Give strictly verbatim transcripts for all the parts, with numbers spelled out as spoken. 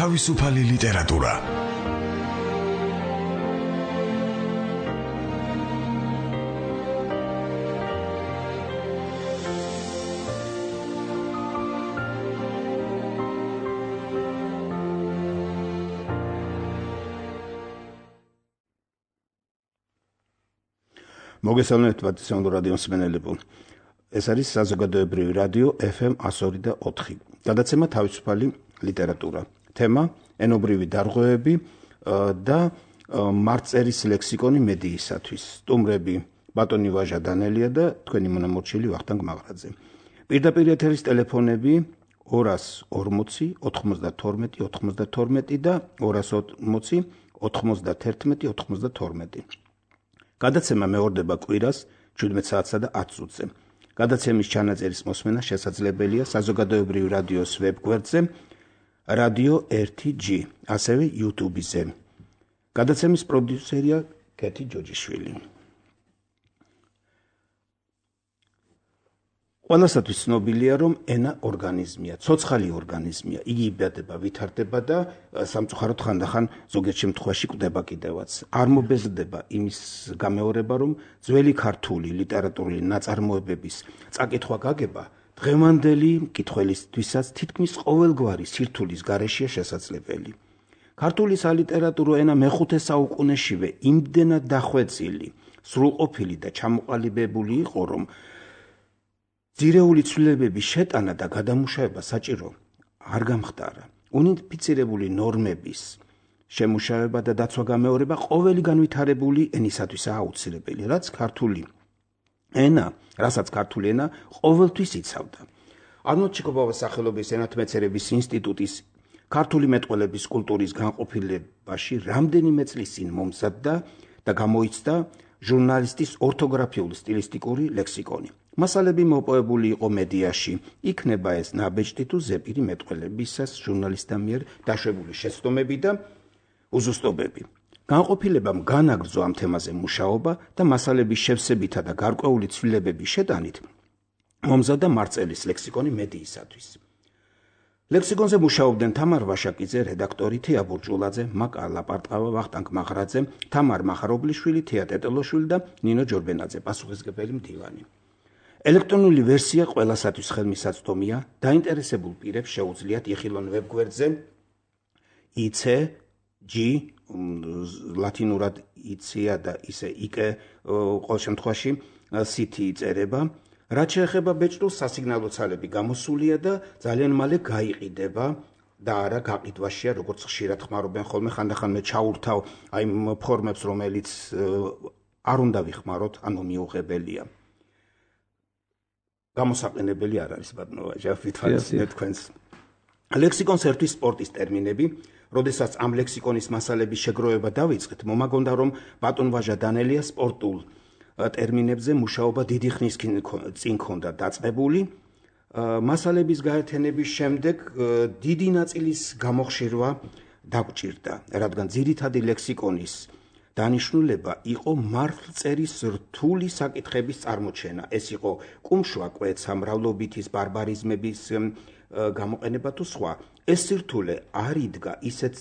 თავისუფალი ლიტერატურა. მოგესალმებით პატრიციულ რადიო მსმენელებო. ეს არის საზოგადოებრივი რადიო ეფ ემ one oh two point four. გადაცემა თავისუფალი ლიტერატურა. თემა ენობრივი დარღვევები და მარწერის ლექსიკონი მედიისათვის. სტუმრები ბატონი ვაჟა დანელია და თქვენი მონამორჩილი ვახტანგ მაღრაძე. პირდაპირ ეთერის ტელეფონები ორას ორმოცი ოთხმოცდათორმეტი ოთხმოცდათორმეტი და ორას ორმოცი ოთხმოცდაათერთმეტი ოთხმოცდათორმეტი. გადაცემა მეორდება კვირას შვიდმეტ საათსა და ათს წუთზე. გადაცემის ჩანაწერის მოსმენა შესაძლებელია საზოგადოებრივი რადიოს ვებგვერდზე რადიო ერთი ჯი, ასევე YouTube-ზე. გადაცემის პროდიუსერია კეთი ჯოჯიშვილი. ყველასათვის ცნობილია, რომ ენა ორგანიზმია, ცოცხალი ორგანიზმია. იგი იბადება, ვითარდება და სამწუხაროდ ხანდახან ზოგიერთ შემთხვევაში კვდება კიდევაც. არ მობეზრდება იმის გამეორება, რომ ძველი ქართული ლიტერატურული ნაწარმოებების წაკითხვა გაგება დღევანდელი მკითხველისთვისაც თითქმის ყოველგვარი სირთულის გარეშეა შესაძლებელი. ქართული სალიტერატურო ენა მეხუთე საუკუნეშივე იმდენად დახვეწილი, სრულყოფილი და ჩამოყალიბებული იყო, რომ ძირეული ცვლილებების შეტანა და გადამუშავება საჭირო არ გამხდარა. უნიფიცირებული ნორმების შემუშავება და დაცვა-გამეორება ყოველი განვითარებული ენისათვისაა აუცილებელი, რაც ქართული ენა, რასაც ქართული ენა ყოველთვის იცავდა. არნოლდ ჩიქობავას სახელობის ენათმეცნიერების ინსტიტუტის ქართული მეტყველების კულტურის განყოფილებაში რამდენიმე წლის წინ მომზადდა და გამოიცდა ჟურნალისტის ორთოგრაფიული სტილისტიკური ლექსიკონი. მასალები მოპოვებული იყო მედიაში, იქნება ეს ნაბეჭდი თუ ზეპირი მეტყველებისას ჟურნალისტთა მიერ დაშვებული შეცდომები და უზუსტობები. განყოფილებამ განაგრძო ამ თემაზე მუშაობა და მასალების შევსებითა და გარკვეული ცვლილებების შეტანით მომზადდა მარწერის ლექსიკონი მედიისათვის. ლექსიკონზე მუშაობდნენ თამარ ვაშაკიძე, რედაქტორი, თეა ბურჭულაძე, მაკა ლაპარტყავა, ვახტანგ მაღრაძე, თამარ მახარობლიშვილი, თეა ტეტელოშვილი და ნინო ჯორბენაძე, პასუხისმგებელი მდივანი. ელექტრონული ვერსია ყველასათვის ხელმისაწვდომია, დაინტერესებულ პირებს შეუძლიათ იხილონ ვებგვერდზე იცე ჯი ლათინურად იცია და ისე იკე ყოველ შემთხვევაში სითი იწერება. რაც შეეხება ბეჭდულს, სასიგნალო ცალები გამოსულია და ძალიან მალე გაიყიდება და არა გაყიდვაშია, როგორც ხშირად ხმარობენ ხოლმე. ხანდახან მე ჩაურთავ აი ფორმებს, რომელიც არ უნდა ვიხმაროთ, ანუ მიუღებელია. გამოსაყენებელი არ არის ბატონო ვაჟა, ვითვალისწინეთ თქვენს. ლექსიკონს ერთვის სპორტის ტერმინები. როდესაც ამ ლექსიკონის მასალების შეგროვება დავიწყეთ, მომაგონდა, რომ ბატონ ვაჟა დანელია სპორტულ ტერმინებზე მუშაობა დიდი ხნის წინ ქონდა დაწყებული. მასალების გაერთიანების შემდეგ დიდი ნაწილის გამოხშირვა დაგჭირდა, რადგან ძირითადი ლექსიკონის დანიშნულება იყო მართლწერის რთული საკითხების წარმოჩენა. ეს იყო კუმშვა, კვეცა, მრავლობითის ბარბარიზმების გამოყენება თუ სხვა. ეს სირთულე არ იდგა ისეთ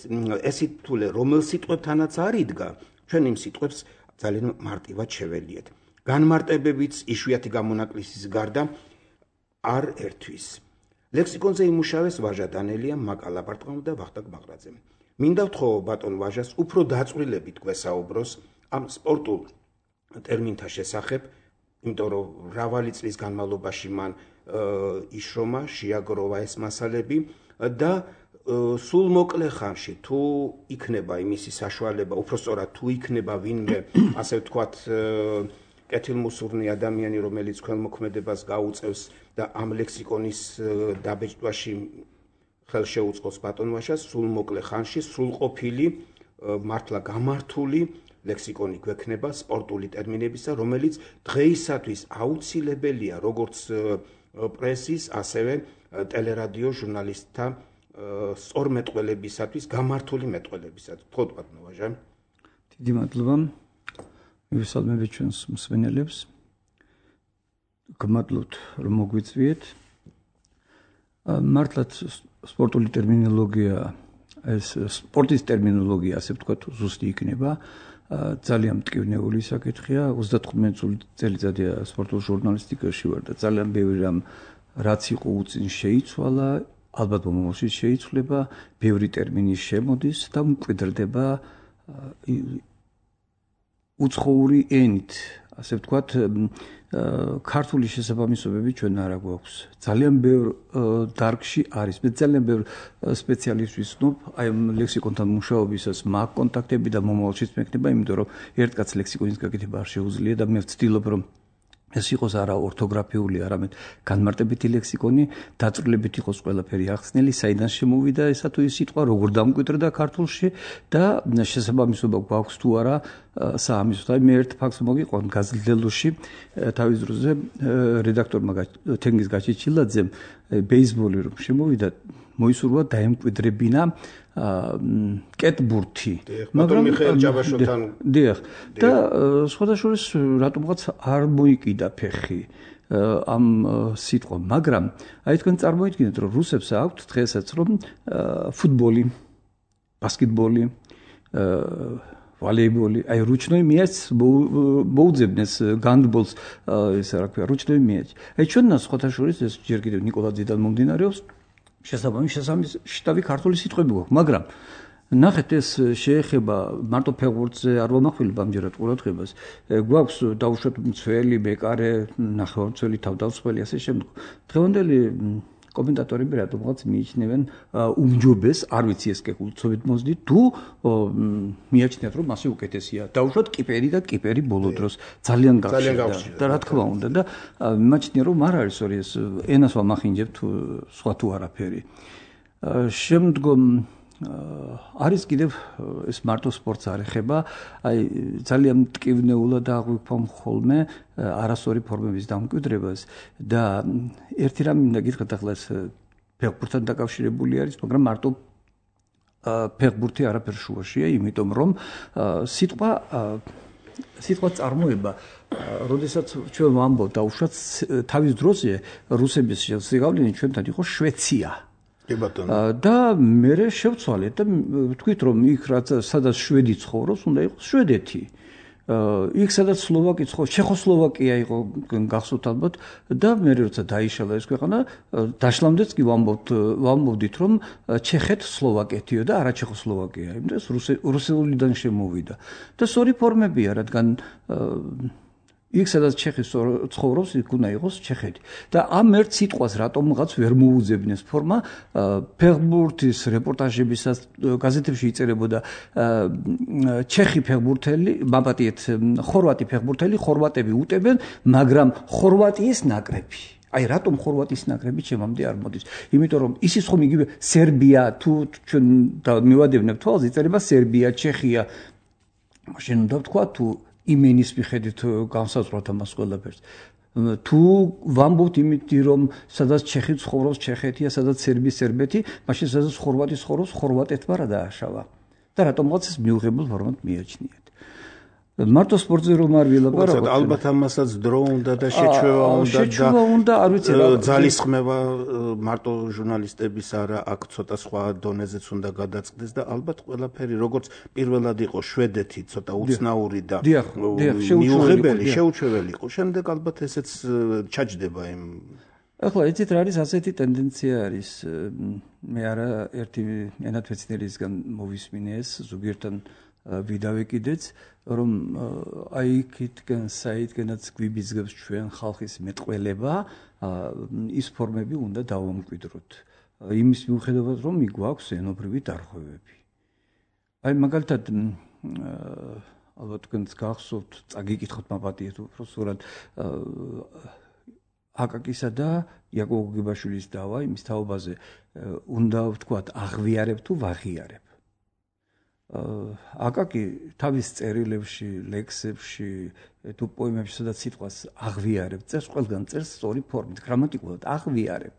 ეს სირთულე რომელ სიტყვებთანაც არ იდგა, ჩვენ იმ სიტყვებს ძალიან მარტივად შეველიეთ. განმარტებებიც იშვიათი გამონაკლისის გარდა არ ერთვის. ლექსიკონზე იმუშავეს ვაჟა დანელია, მაკა ლაპარტყავა და ვახტანგ მაღრაძე. მინდა ვთხოვო ბატონ ვაჟას უფრო დაწვრილებით გვესაუბროს ამ სპორტულ ტერმინთა შესახებ, იმიტომ რომ მრავალი წლის განმავლობაში მან იშრომა, შეაგროვა ეს მასალები და სულ მოკლე ხანში თუ იქნება იმისი საშუალება, უბრალოდ თუ იქნება ვინმე, ასე ვთქვათ, კეთილმოსურნე ადამიანი, რომელიც ქველმოქმედებას გაუწევს და ამ ლექსიკონის დაბეჭდვაში ხელს შეუწყოს ბატონ ვაჟას, სულ მოკლე ხანში სრულყოფილი, მართლა გამართული ლექსიკონი გვექნება სპორტული ტერმინებისა, რომელიც დღეისათვის აუცილებელია როგორც პრესის, ასევე ტელერადიო ჟურნალისტთა სწორ მეტყველებისათვის, გამართული მეტყველებისათვის. თქო ბატონო ვაჟა. დიდი მადლობა. მივესალმებით ჩვენს მსმენელებს. გმადლობთ, რომ მოგვიწვიეთ. მართლაც სპორტული ტერმინოლოგია ეს სპორტის ტერმინოლოგია, ასე ვთქვათ, ზუსტი იქნება. ძალიან მტკივნეული საკითხია. ოცდათხმეტი წელიწადია სპორტულ ჟურნალისტიკაში ვარ და ძალიან ბევრი რამ რაც იყო უწინ შეიცვალა, ალბათ მომავალში შეიცვლება, ბევრი ტერმინი შემოდის და მკვიდრდება უცხოური ენით, ასე ვთქვათ, ქართული შესაბამისობები ჩვენ არ გვაქვს. ძალიან ბევრ დარგში არის. მე ძალიან ბევრ სპეციალისტს ვისნობ, აი ამ ლექსიკონთან მუშაობისას მაგ კონტაქტები და მომავალშიც მექნება, იმიტომ რომ ერთ კაც ლექსიკონის გაკეთება არ შეუძლია და მე ვცდილობ რომ ეს იყოს არა ორთოგრაფიული, არამედ განმარტებითი ლექსიკონი, დაწვრილებით იყოს ყველაფერი ახსნელი, საიდან შემოვიდა ესა თუ ის სიტყვა, როგორ დამკვიდრდა ქართულში და შესაბამისობა გვაქვს თუ არა საამისოდ. აი მე ერთ ფაქტს მოგიყვან გაზრდელოში თავის დროზე რედაქტორმა თენგიზ გაჩიჩილაძემ ბეისბოლი რომ შემოვიდა, მოისურვა დაემკვიდრებინა კეტბურთი, მაგრამ მიხეილ ჯაბაშოვთან დიახ და სხვადასხვა რატომღაც არ მოიკიდა ფეხი ამ სიტყვა, მაგრამ აი თქვენ წარმოიდგინეთ რომ რუსებს აქვთ დღესაც რომ ფუტბოლი, ბასკეტბოლი, ვალეიბოლი, აი რუჩნოი მიაჩ მოუძებნეს განდბოლს, ესე რა ქვია, რუჩნოი მიაჩ. აი ჩვენთან სხვადასხვა ეს ჯერ კიდევ ნიკოლაძიდან მომდინარეობს შესაბამის შესაბამის შტაბი ქართული სიტყვები გვაქვს, მაგრამ ნახეთ ეს შეეხება მარტო ფეხბურთზე არ ვამახვილებ ამჯერად ყურადღებას. გვაქვს დაუშვათ მცველი, მეკარე, ნახევარმცველი, თავდამსხმელი, ასე შემდეგ. დღევანდელი კომენტატორები რატომღაც მიიჩნევენ უმჯობეს, არ ვიცი ეს კულტურით მოსდით, თუ მიაჩნიათ რომ მასე უკეთესია. დაუშვათ კიპერი და კიპერი ბოლო დროს ძალიან გავშერდა და რა თქმა უნდა და მიმაჩნია რომ არ არის ორი ეს ენას ვამახინჯებთ სხვა თუ არაფერი. შემდგომ არის კიდევ ეს მარტო სპორტს არ ეხება, აი ძალიან მტკივნეულად აღვიქვამ ხოლმე არასწორი ფორმების დამკვიდრებას და ერთი რამ მინდა გითხრათ, ახლა ეს ფეხბურთთან დაკავშირებული არის, მაგრამ მარტო ფეხბურთი არაფერ შუაშია, იმიტომ რომ სიტყვა სიტყვა წარმოება, როდესაც ჩვენ ვამბობთ დაუშვათ თავის დროზე რუსების ზეგავლენი ჩვენთან იყო შვეცია. და მე შევცვალეთ და ვთქვით რომ იქ რაც სადაც შვედი ცხოვრობს, უნდა იყოს შვედეთი. იქ სადაც სლოვაკი ცხოვრობს, ჩეხოსლოვაკია იყო გახსოვთ ალბათ და მე როცა დაიშალა ეს ქვეყანა, დაშლამდეც კი ვამბობთ ვამბობდით რომ ჩეხეთ სლოვაკეთიო და არა ჩეხოსლოვაკია, იმიტომ ეს რუსულიდან შემოვიდა. და სწორი ფორმებია, რადგან იქ სადაც ჩეხი ცხოვრობს, იქ უნდა იყოს ჩეხეთი. და ამ ერთ სიტყვას რატომღაც ვერ მოუძებნეს ფორმა, ფეხბურთის რეპორტაჟებისაც გაზეთებში იწერებოდა ჩეხი ფეხბურთელი, მაპატიეთ, ხორვატი ფეხბურთელი, ხორვატები უტებენ, მაგრამ ხორვატიის ნაკრები. აი რატომ ხორვატიის ნაკრები ჩემამდე არ მოდის? იმიტომ რომ ისიც ხომ იგივე სერბია თუ ჩვენ მივადევნებთ თვალს, იწერება სერბია, ჩეხია. მაშინ უნდა ვთქვა თუ იმენის მიხედვით განსაზღვროთ ამას ყველაფერს. თუ ვამბობთ იმითი რომ სადაც ჩეხი ცხოვრობს, ჩეხეთია, სადაც სერბი, სერბეთი, მაშინ სადაც ხორვატი ცხოვრობს, ხორვატეთმა რა დააშავა. და რატომღაც ეს მიუღებელ ფორმად მიაჩნიათ. მარტო სპორტზე რომ არ ვილაპარაკოთ, ალბათ ამასაც დრო უნდა და შეჩვევა უნდა და შეჩვევა უნდა, არ ვიცი რა, ძალისხმევა მარტო ჟურნალისტების არა, აქ ცოტა სხვა დონეზეც უნდა გადაწყდეს და ალბათ ყველაფერი როგორც პირველად იყო შვედეთი, ცოტა უცნაური და მიუღებელი, შეუჩვეველი იყო. შემდეგ ალბათ ესეც ჩაჯდება იმ. ახლა იცით რა არის, ასეთი ტენდენცია არის. მე არა ერთი ენათმეცნიერისგან მოვისმინე ეს ზოგიერთთან ვიდავე კიდეც, რომ აი იქითკენ საიდკენაც გვიბიძგებს ჩვენ ხალხის მეტყველება, ის ფორმები უნდა დავამკვიდროთ. იმის მიუხედავად, რომ მიგვაქვს ენობრივი დარღვევები. აი მაგალითად ალბათ თქვენს გახსოვთ, წაგიკითხოთ მაპატიეთ უბრალოდ აკაკისა და იაკობ გოგებაშვილის დავა იმის თაობაზე უნდა ვთქვათ აღვიარებ თუ ვაღიარებ. აკაკი თავის წერილებში, ლექსებში, თუ პოემებში სადაც სიტყვას აღვიარებ, წერს ყველგან წერს სწორი ფორმით, გრამატიკულად აღვიარებ.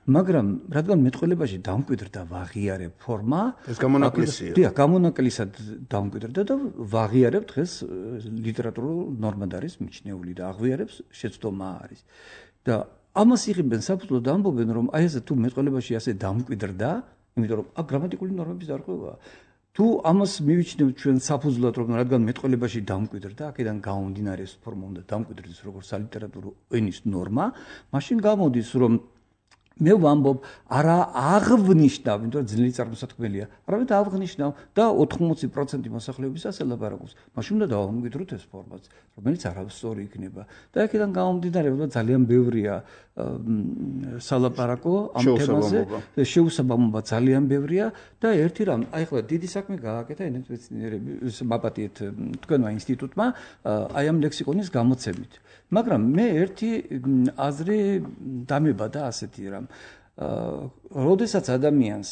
მაგრამ რადგან მეტყველებაში დამკვიდრდა ვაღიარებ ფორმა, ეს გამონაკლისია. დიახ, გამონაკლისად დამკვიდრდა და ვაღიარებ დღეს ლიტერატურულ ნორმად არის მიჩნეული და აღვიარებს შეცდომა არის. და ამას იღებენ საფუძვლოდ ამბობენ რომ აი ესე თუ მეტყველებაში ასე დამკვიდრდა იმიტომ რომ აქ გრამატიკული ნორმების დარღვევაა. თუ ამას მივიჩნევ ჩვენ საფუძვლად, რომ რადგან მეტყველებაში დამკვიდრდა, აქედან გამომდინარე ეს ფორმა უნდა დამკვიდრდეს როგორც სალიტერატურო ენის ნორმა, მაშინ გამოდის, რომ მე ვამბობ, არა აღвნიშნავ, იმიტომ რომ ძლიერი წარმოსათქმელია, არამედ აღвნიშნავ და ოთხმოცი პროცენტი მოსახლეობისას ელაპარაკობს. მაშინ უნდა დავამკვიდროთ ეს ფორმაც, რომელიც არასწორი იქნება. და აქედან გამომდინარე, რომ ძალიან ბევრია სალაპარაკო ამ თემაზე, შეუსაბამობა ძალიან ბევრია და ერთი რამ, აი ხლა დიდი საქმე გააკეთა ენათმეცნიერების მაპატიეთ თქვენმა ინსტიტუტმა აი ამ ლექსიკონის გამოცემით. მაგრამ მე ერთი აზრი დამებადა ასეთი რამ. როდესაც ადამიანს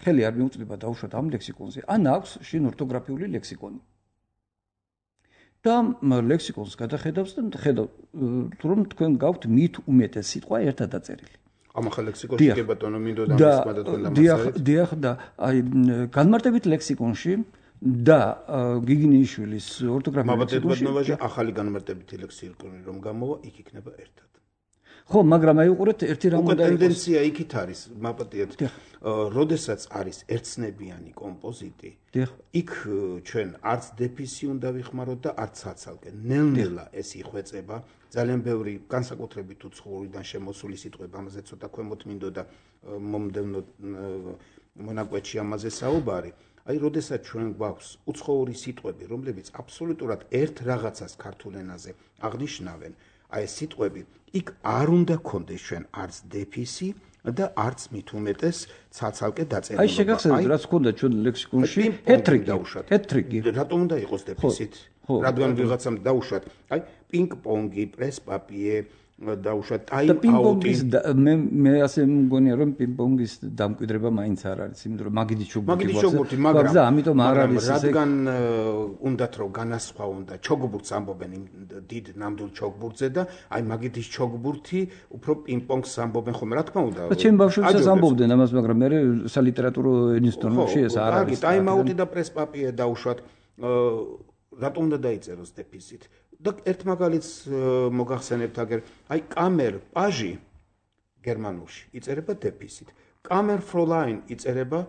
ხელი არ მიუწვდება დაუშვათ ამ ლექსიკონზე, ან აქვს შინ ორთოგრაფიული ლექსიკონი. და ლექსიკონს გადახედავს და ხედავთ, რომ თქვენ გაქვთ მით უმეტეს სიტყვა ერთად დაწერილი. ამ ახალ ლექსიკონში კი ბატონო მინდოდა ამის თქვენ დამასწრეთ. დიახ, და აი განმარტებით ლექსიკონში და გიგინეიშვილის ორთოგრაფიული ლექსიკონში ახალი განმარტებითი ლექსიკონი რომ გამოვა, იქ იქნება ერთად. ხო, მაგრამ აი უყურეთ ერთი რამ უნდა იყოს. ტენდენცია იქით არის, მაპატიეთ. როდესაც არის ერთცნებიანი კომპოზიტი, იქ ჩვენ არც დეფისი უნდა ვიხმაროთ და არც საცალკე. ნელ-ნელა ეს იხვეწება, ძალიან ბევრი განსაკუთრებით უცხოურიდან შემოსული სიტყვები, ამაზე ცოტა ქვემოთ მინდოდა მომდევნო მონაკვეთში ამაზე საუბარი. აი, როდესაც ჩვენ გვაქვს უცხოური სიტყვები, რომლებიც აბსოლუტურად ერთ რაღაცას ქართულ ენაზე აღნიშნავენ, აი ეს სიტყვები, იქ არ უნდა გქონდეს ჩვენ არც დეფისი და არც მით უმეტეს საცალკე დაწერილობა. აი შეგახსენებთ, რაც გქონდა ჩვენ ლექსიკონში, ჰეტრიგი დაუშვათ. ჰეტრიგი. რატომ უნდა იყოს დეფისით? რადგან ვიღაცამ დაუშვათ. აი, პინგ-პონგი, პრეს-პაპიე დაუშვათ, ტაიმ-აუტი. მე მე ასე მგონია, რომ პინგ-პონგის დამკვიდრება მაინც არ არის, იმიტომ რომ მაგიდი ჩოგბურთი მაგიდი ჩოგბურთი, მაგრამ ამიტომ არ არის ესე. რადგან უნდათ რომ განასხვაონ და ჩოგბურთს ამბობენ იმ დიდ ნამდვილ ჩოგბურთზე და აი მაგიდის ჩოგბურთი უფრო პინგ-პონგს ამბობენ ხოლმე, რა თქმა უნდა. და ჩემ ბავშვებსაც ამბობდნენ ამას, მაგრამ მე სალიტერატურო ენის ნორმებში ეს არ არის. ტაიმ-აუტი და პრეს-პაპიე დაუშვათ. რატომ უნდა დაიწეროს დეფისით? და ერთ მაგალითს მოგახსენებთ აგერ, აი კამერ პაჟი გერმანულში იწერება დეფისით. კამერ ფროლაინ იწერება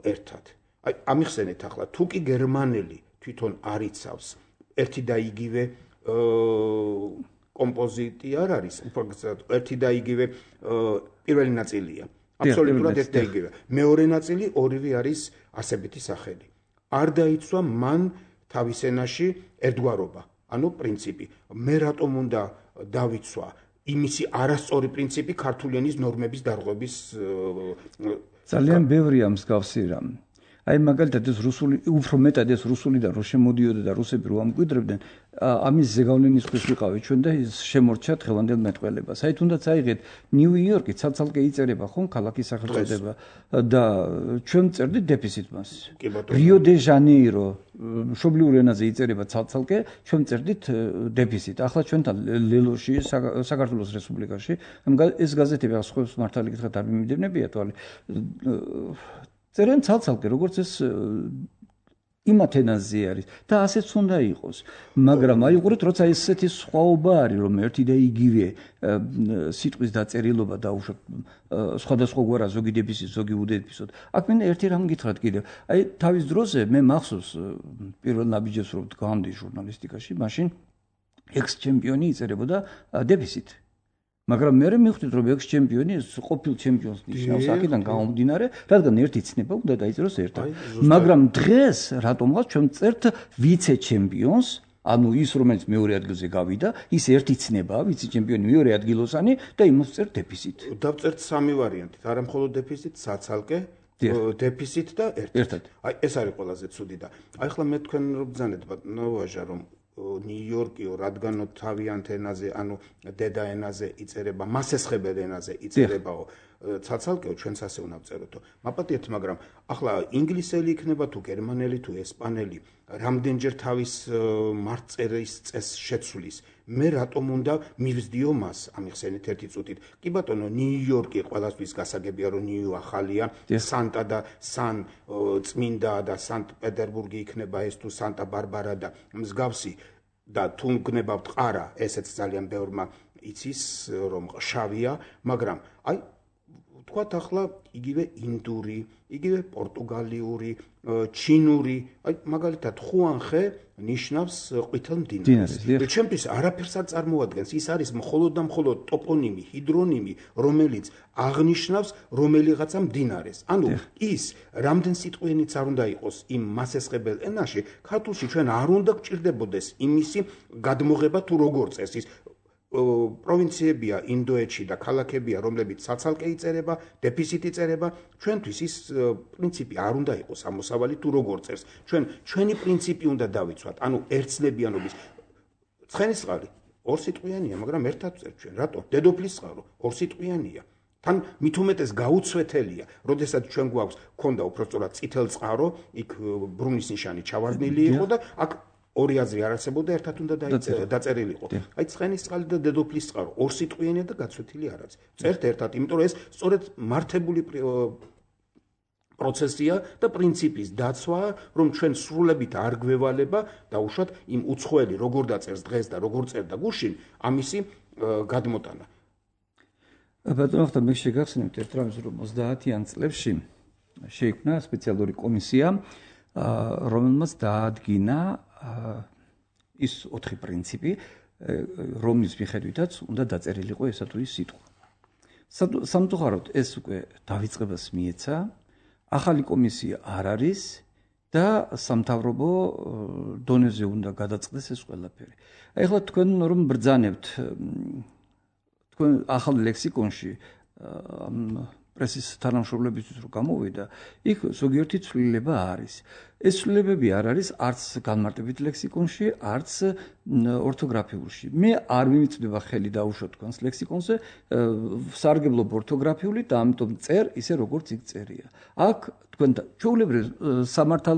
ერთად. აი ამიხსენეთ ახლა, თუ კი გერმანელი თვითონ არ იცავს ერთი და იგივე კომპოზიტი არ არის, უფრო გასაგებია, ერთი და იგივე პირველი ნაწილია. აბსოლუტურად ერთი და იგივე. მეორე ნაწილი ორივე არის არსებითი სახელი. არ დაიცვა მან თავის ენაში ერთგვარობა. ანუ პრინციპი. მე რატომ უნდა დავიცვა იმისი არასწორი პრინციპი ქართული ენის ნორმების დარღვევის ძალიან ბევრია მსგავსი რამ. აი მაგალითად ეს რუსული, უფრო მეტად ეს რუსულიდან რო შემოდიოდა და რუსები რო ამკვიდრებდნენ, ამის ზეგავლენის ხვის ვიყავით ჩვენ და ის შემორჩა დღევანდელ მეტყველებას. აი თუნდაც აიღეთ ნიუ-იორკი ცალ-ცალკე იწერება ხომ ქალაქის სახელწოდება და ჩვენ წერდით დეფისით მას. რიო-დე-ჟანეირო მშობლიურ ენაზე იწერება ცალ-ცალკე, ჩვენ წერდით დეფისით. ახლა ჩვენთან ლელოში საქართველოს რესპუბლიკაში, ეს გაზეთები ახლა მართალი გითხრათ არ მიმდევნებია თვალი. წერენ ცალ-ცალკე, როგორც ეს იმათ ენაზე არის და ასეც უნდა იყოს. მაგრამ აი უყურეთ, როცა ესეთი სხვაობა არის, რომ ერთი და იგივე სიტყვის დაწერილობა დაუშვათ სხვადასხვა გვარა ზოგი დეფისით, ზოგი უდეფისით. აქ მინდა ერთი რამ გითხრათ კიდევ. აი თავის დროზე მე მახსოვს პირველ ნაბიჯებს რომ გავამდი ჟურნალისტიკაში, მაშინ ექს-ჩემპიონი იწერებოდა დეფისით. მაგრამ მე მივხვდით რომ ექს-ჩემპიონი ყოფილ ჩემპიონს ნიშნავს, აქედან გამომდინარე, რადგან ერთი ცნება უნდა დაიწეროს ერთად. მაგრამ დღეს რატომღაც ჩვენ წერთ ვიცე-ჩემპიონს, ანუ ის რომელიც მეორე ადგილზე გავიდა, ის ერთი ცნებაა, ვიცე-ჩემპიონი მეორე ადგილოსანი და იმას წერთ დეფისით. დავწერთ სამი ვარიანტით, არა მხოლოდ დეფისით, საცალკე, დეფისით და ერთად. აი ეს არის ყველაზე ცუდი და აი ახლა მე თქვენ რო ბრძანეთ ბატონო ვაჟა რომ ნიუ-იორკიო, რადგანო თავიანთ ენაზე, ანუ დედა ენაზე იწერება, მასესხებელ ენაზე იწერებაო, ცალ-ცალკეო ჩვენც ასე უნდა ვწეროთო. მაპატიეთ, მაგრამ ახლა ინგლისელი იქნება თუ გერმანელი თუ ესპანელი, რამდენჯერ თავის მარტწერის წესს შეცვლის. მე რატომ უნდა მივსდიო მას, ამიხსენით ერთი წუთით. კი ბატონო, ნიუ-იორკი ყველასთვის გასაგებია, რომ ნიუ ახალია, სანტა და სან წმინდა და სანქტ-პეტერბურგი იქნება ეს თუ სანტა-ბარბარა და მსგავსი და თუ გნებავთ ყარა, ესეც ძალიან ბევრმა იცის, რომ შავია, მაგრამ აი თქვათ ახლა იგივე ინდური, იგივე პორტუგალიური, ჩინური, აი მაგალითად ხუანხე ნიშნავს ყვითელ მდინარეს. ჩემთვის არაფერს არ წარმოადგენს, ის არის მხოლოდ და მხოლოდ ტოპონიმი, ჰიდრონიმი, რომელიც აღნიშნავს რომელიღაცა მდინარეს. ანუ ის რამდენ სიტყვიანიც არ უნდა იყოს იმ მასესხებელ ენაში, ქართულში ჩვენ არ უნდა გჭირდებოდეს იმისი გადმოღება თუ როგორ წეს ის პროვინციებია ინდოეთში და ქალაქებია, რომლებიც საცალკე იწერება, დეფიციტი წერება, ჩვენთვის ის პრინციპი არ უნდა იყოს ამოსავალი თუ როგორ წერს. ჩვენ ჩვენი პრინციპი უნდა დავიცვათ, ანუ ერთსლებიანობის. ცხენისწყალი ორ სიტყვიანია, მაგრამ ერთად წერთ ჩვენ. რატო? დედოფლის წყარო ორ სიტყვიანია. თან მით უმეტეს გაუცვეთელია, როდესაც ჩვენ გვაქვს ქონდა უბრალოდ წითელ წყარო, იქ ბრუნის ნიშანი ჩავარდნილი იყო და აქ ორი აზრი არ არსებობდა, ერთად უნდა დაწერილიყო. აი ცხენისწყალი და დედოფლის წყარო ორ სიტყვიანია და გაცვეთილი არ არის. წერთ ერთად, იმიტომ რომ ეს სწორედ მართებული პროცესია და პრინციპის დაცვა, რომ ჩვენ სრულებით არ გვევალება დაუშვათ იმ უცხოელი როგორ დაწერს დღეს და როგორ წერდა გუშინ, ამისი გადმოტანა. ბატონო, ხთა მე შეგახსენებთ ერთ რამეს, რომ ოცდაათიან წლებში შეიქმნა სპეციალური კომისია, რომელმაც დაადგინა ის ოთხი პრინციპი, რომლის მიხედვითაც უნდა დაწერილიყო ესა თუ ის სიტყვა. სამწუხაროდ ეს უკვე დავიწყებას მიეცა, ახალი კომისია არ არის და სამთავრობო დონეზე უნდა გადაწყდეს ეს ყველაფერი. აი ახლა თქვენ რომ ბრძანებთ თქვენ ახალ ლექსიკონში ამ პრესის თანამშრომლებისთვის რომ გამოვიდა, იქ ზოგიერთი ცვლილება არის. ეს ცვლილებები არ არის არც განმარტებით ლექსიკონში, არც ორთოგრაფიულში. მე არ მიმიწვდება ხელი დაუშვათ თქვენს ლექსიკონზე, სარგებლობ ორთოგრაფიული და ამიტომ წერ ისე როგორც იქ წერია. აქ თქვენ ჩვეულებრივ სამართალ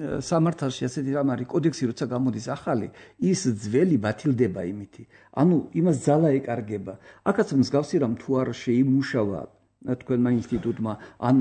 სამართალში ასეთი რამ არის, კოდექსი როცა გამოდის ახალი, ის ძველი ბათილდება იმითი. ანუ იმას ძალა ეკარგება. აქაც მსგავსი რამ თუ არ შეიმუშავა თქვენმა ინსტიტუტმა ან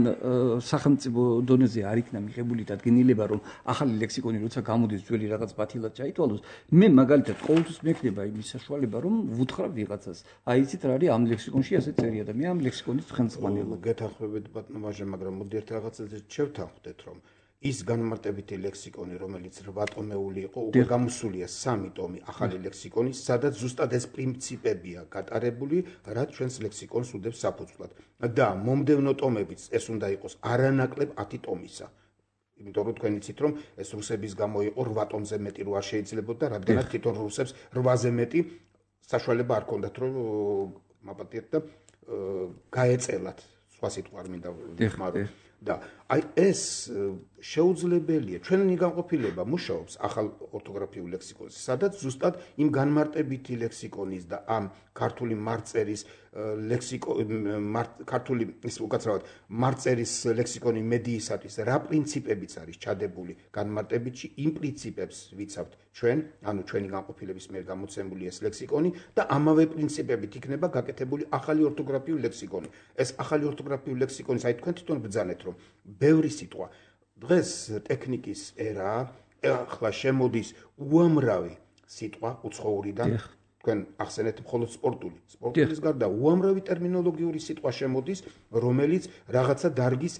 სახელმწიფო დონეზე არ იქნა მიღებული დადგენილება, რომ ახალი ლექსიკონი როცა გამოდის ძველი რაღაც ბათილად ჩაითვალოს, მე მაგალითად ყოველთვის მექნება იმის საშუალება, რომ ვუთხრა ვიღაცას. აი იცით რა არის ამ ლექსიკონში ასე წერია და მე ამ ლექსიკონის ხელმძღვანელი. გეთანხმებით ბატონო ვაჟე, მაგრამ მოდი ერთ რაღაცაზე შევთანხმდეთ, რომ ის განმარტებითი ლექსიკონი, რომელიც რვა ტომეული იყო, უკვე გამოსულია სამი ტომი ახალი ლექსიკონის, სადაც ზუსტად ეს პრინციპებია გატარებული, რაც ჩვენს ლექსიკონს უდევს საფუძვლად. და მომდევნო ტომებიც ეს უნდა იყოს არანაკლებ ათი ტომისა. იმიტომ რომ თქვენ იცით, რომ ეს რუსების გამო იყო რვა ტომზე მეტი რო არ შეიძლებოდა, რადგანაც თვითონ რუსებს რვაზე მეტი საშუალება არ ჰქონდათ, რომ მაპატიეთ და გაეწელათ. სხვა სიტყვა არ მინდა ვიხმარო. და აი ეს შეუძლებელია, ჩვენი განყოფილება მუშაობს ახალ ორთოგრაფიულ ლექსიკონზე, სადაც ზუსტად იმ განმარტებითი ლექსიკონის და ამ ქართული მარწერის ლექსიკო ქართული ის უკაცრავად მარწერის ლექსიკონი მედიისათვის რა პრინციპებიც არის ჩადებული განმარტებითში, იმ პრინციპებს ვიცავთ ჩვენ, ანუ ჩვენი განყოფილების მიერ გამოცემული ეს ლექსიკონი და ამავე პრინციპებით იქნება გაკეთებული ახალი ორთოგრაფიული ლექსიკონი. ეს ახალი ორთოგრაფიული ლექსიკონის, აი თქვენ თვითონ ბრძანეთ, რომ ბევრი სიტყვა დღეს ტექნიკის ერაა, ახლა შემოდის უამრავი სიტყვა უცხოურიდან, თქვენ ახსენეთ მხოლოდ სპორტული. სპორტულის გარდა უამრავი ტერმინოლოგიური სიტყვა შემოდის, რომელიც რაღაცა დარგის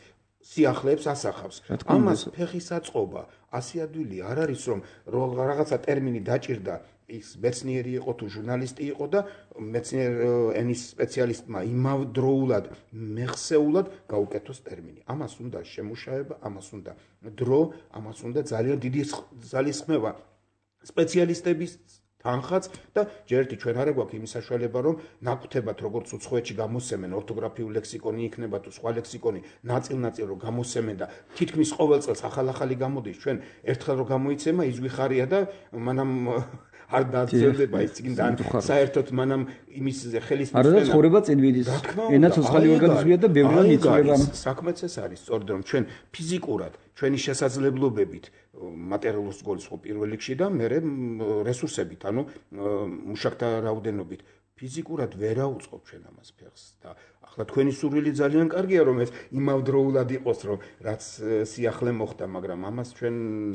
სიახლეებს ასახავს. ამას ფეხის აწყობა, ასი ადვილი არ არის, რომ რაღაცა ტერმინი დაჭირდა ის მეცნიერი იყო თუ ჟურნალისტი იყო და მეცნიერ ენის სპეციალისტმა იმავდროულად მეხსეულად გაუკეთოს ტერმინი. ამას უნდა შემუშავება, ამას უნდა დრო, ამას უნდა ძალიან დიდი ძალისხმევა სპეციალისტების თანხაც და ჯერტი ჩვენ არ გვაქვს იმის საშუალება, რომ ნაკვთებად როგორც უცხოეთში გამოსცემენ ორთოგრაფიული ლექსიკონი იქნება თუ სხვა ლექსიკონი ნაწილ-ნაწილ რომ გამოსცემენ და თითქმის ყოველ წელს ახალ-ახალი გამოდის, ჩვენ ერთხელ რომ გამოიცემა ის გვიხარია და მანამ არ დაძებდება ის წინდან საერთოდ მანამ იმის ხელის არა და ცხოვრება წინ ვიდის ენა ცოცხალი ორგანიზმია და ბევრია მიწვევა საქმეც ეს არის სწორედ რომ ჩვენ ფიზიკურად ჩვენი შესაძლებლობებით მატერიალურ სკოლის ხო პირველ რიგში და მე რესურსებით ანუ მუშაკთა რაოდენობით ფიზიკურად ვერ აუწყობ ჩვენ ამას ფეხს და ახლა თქვა თქვენი სურვილი ძალიან კარგია რომ ეს იმავდროულად იყოს რომ რაც სიახლე მოხდა მაგრამ ამას ჩვენ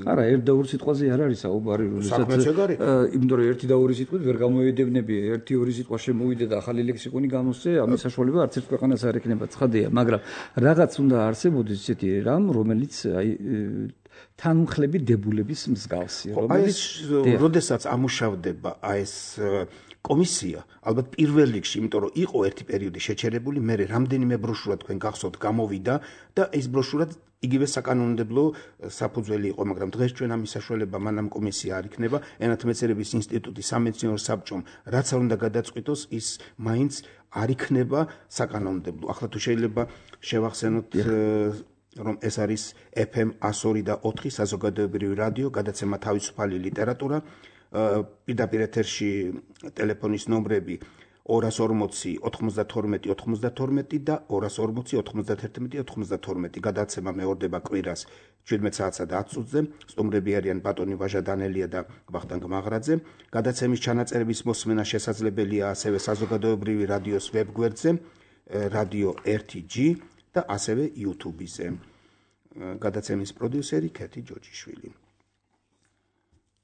არა ერთ და ორ სიტყვაზე არ არის საუბარი როდესაც იმიტომ რომ ერთი და ორი სიტყვით ვერ გამოედებნები ერთი ორი სიტყვა შემოვიდე და ახალი ლექსიკონი გამოსცე ამის საშუალება არც ერთ ქვეყანას არ ექნება ცხადია მაგრამ რაღაც უნდა არსებობდეს ისეთი რამ რომელიც აი თანმხლები დებულების მსგავსი რომელიც როდესაც ამუშავდება აი ეს კომისია ალბათ პირველ რიგში იმიტომ რომ იყო ერთი პერიოდი შეჩერებული მე რამდენიმე ბროშურა თქვენ გახსოვთ გამოვიდა და ეს ბროშურა იგივე საკანონმდებლო საფუძველი იყო მაგრამ დღეს ჩვენ ამის საშუალება მანამ კომისია არ იქნება ენათმეცნიერების ინსტიტუტი სამეცნიერო საბჭომ რაც არ უნდა გადაწყვიტოს ის მაინც არ იქნება საკანონმდებლო ახლა თუ შეიძლება შევახსენოთ რომ ეს არის ეფ ემ εκατო ორი და ოთხი საზოგადოებრივი რადიო გადაცემა თავისუფალი ლიტერატურა პირდაპირ ეთერში ტელეფონის ნომრები ორას ორმოცი ოთხმოცდათორმეტი ოთხმოცდათორმეტი და ორას ორმოცი ოთხმოცდაათერთმეტი ოთხმოცდათორმეტი გადაცემა მეორდება კვირას შვიდმეტ საათსა და ათ წუთზე სტუმრები არიან ბატონი ვაჟა დანელია და ვახტანგ მაღრაძე გადაცემის ჩანაწერების მოსმენა შესაძლებელია ასევე საზოგადოებრივი რადიოს ვებგვერდზე რადიო ერთი ჯი და ასევე YouTube-ზე გადაცემის პროდიუსერი ქეთი ჯოჯიშვილი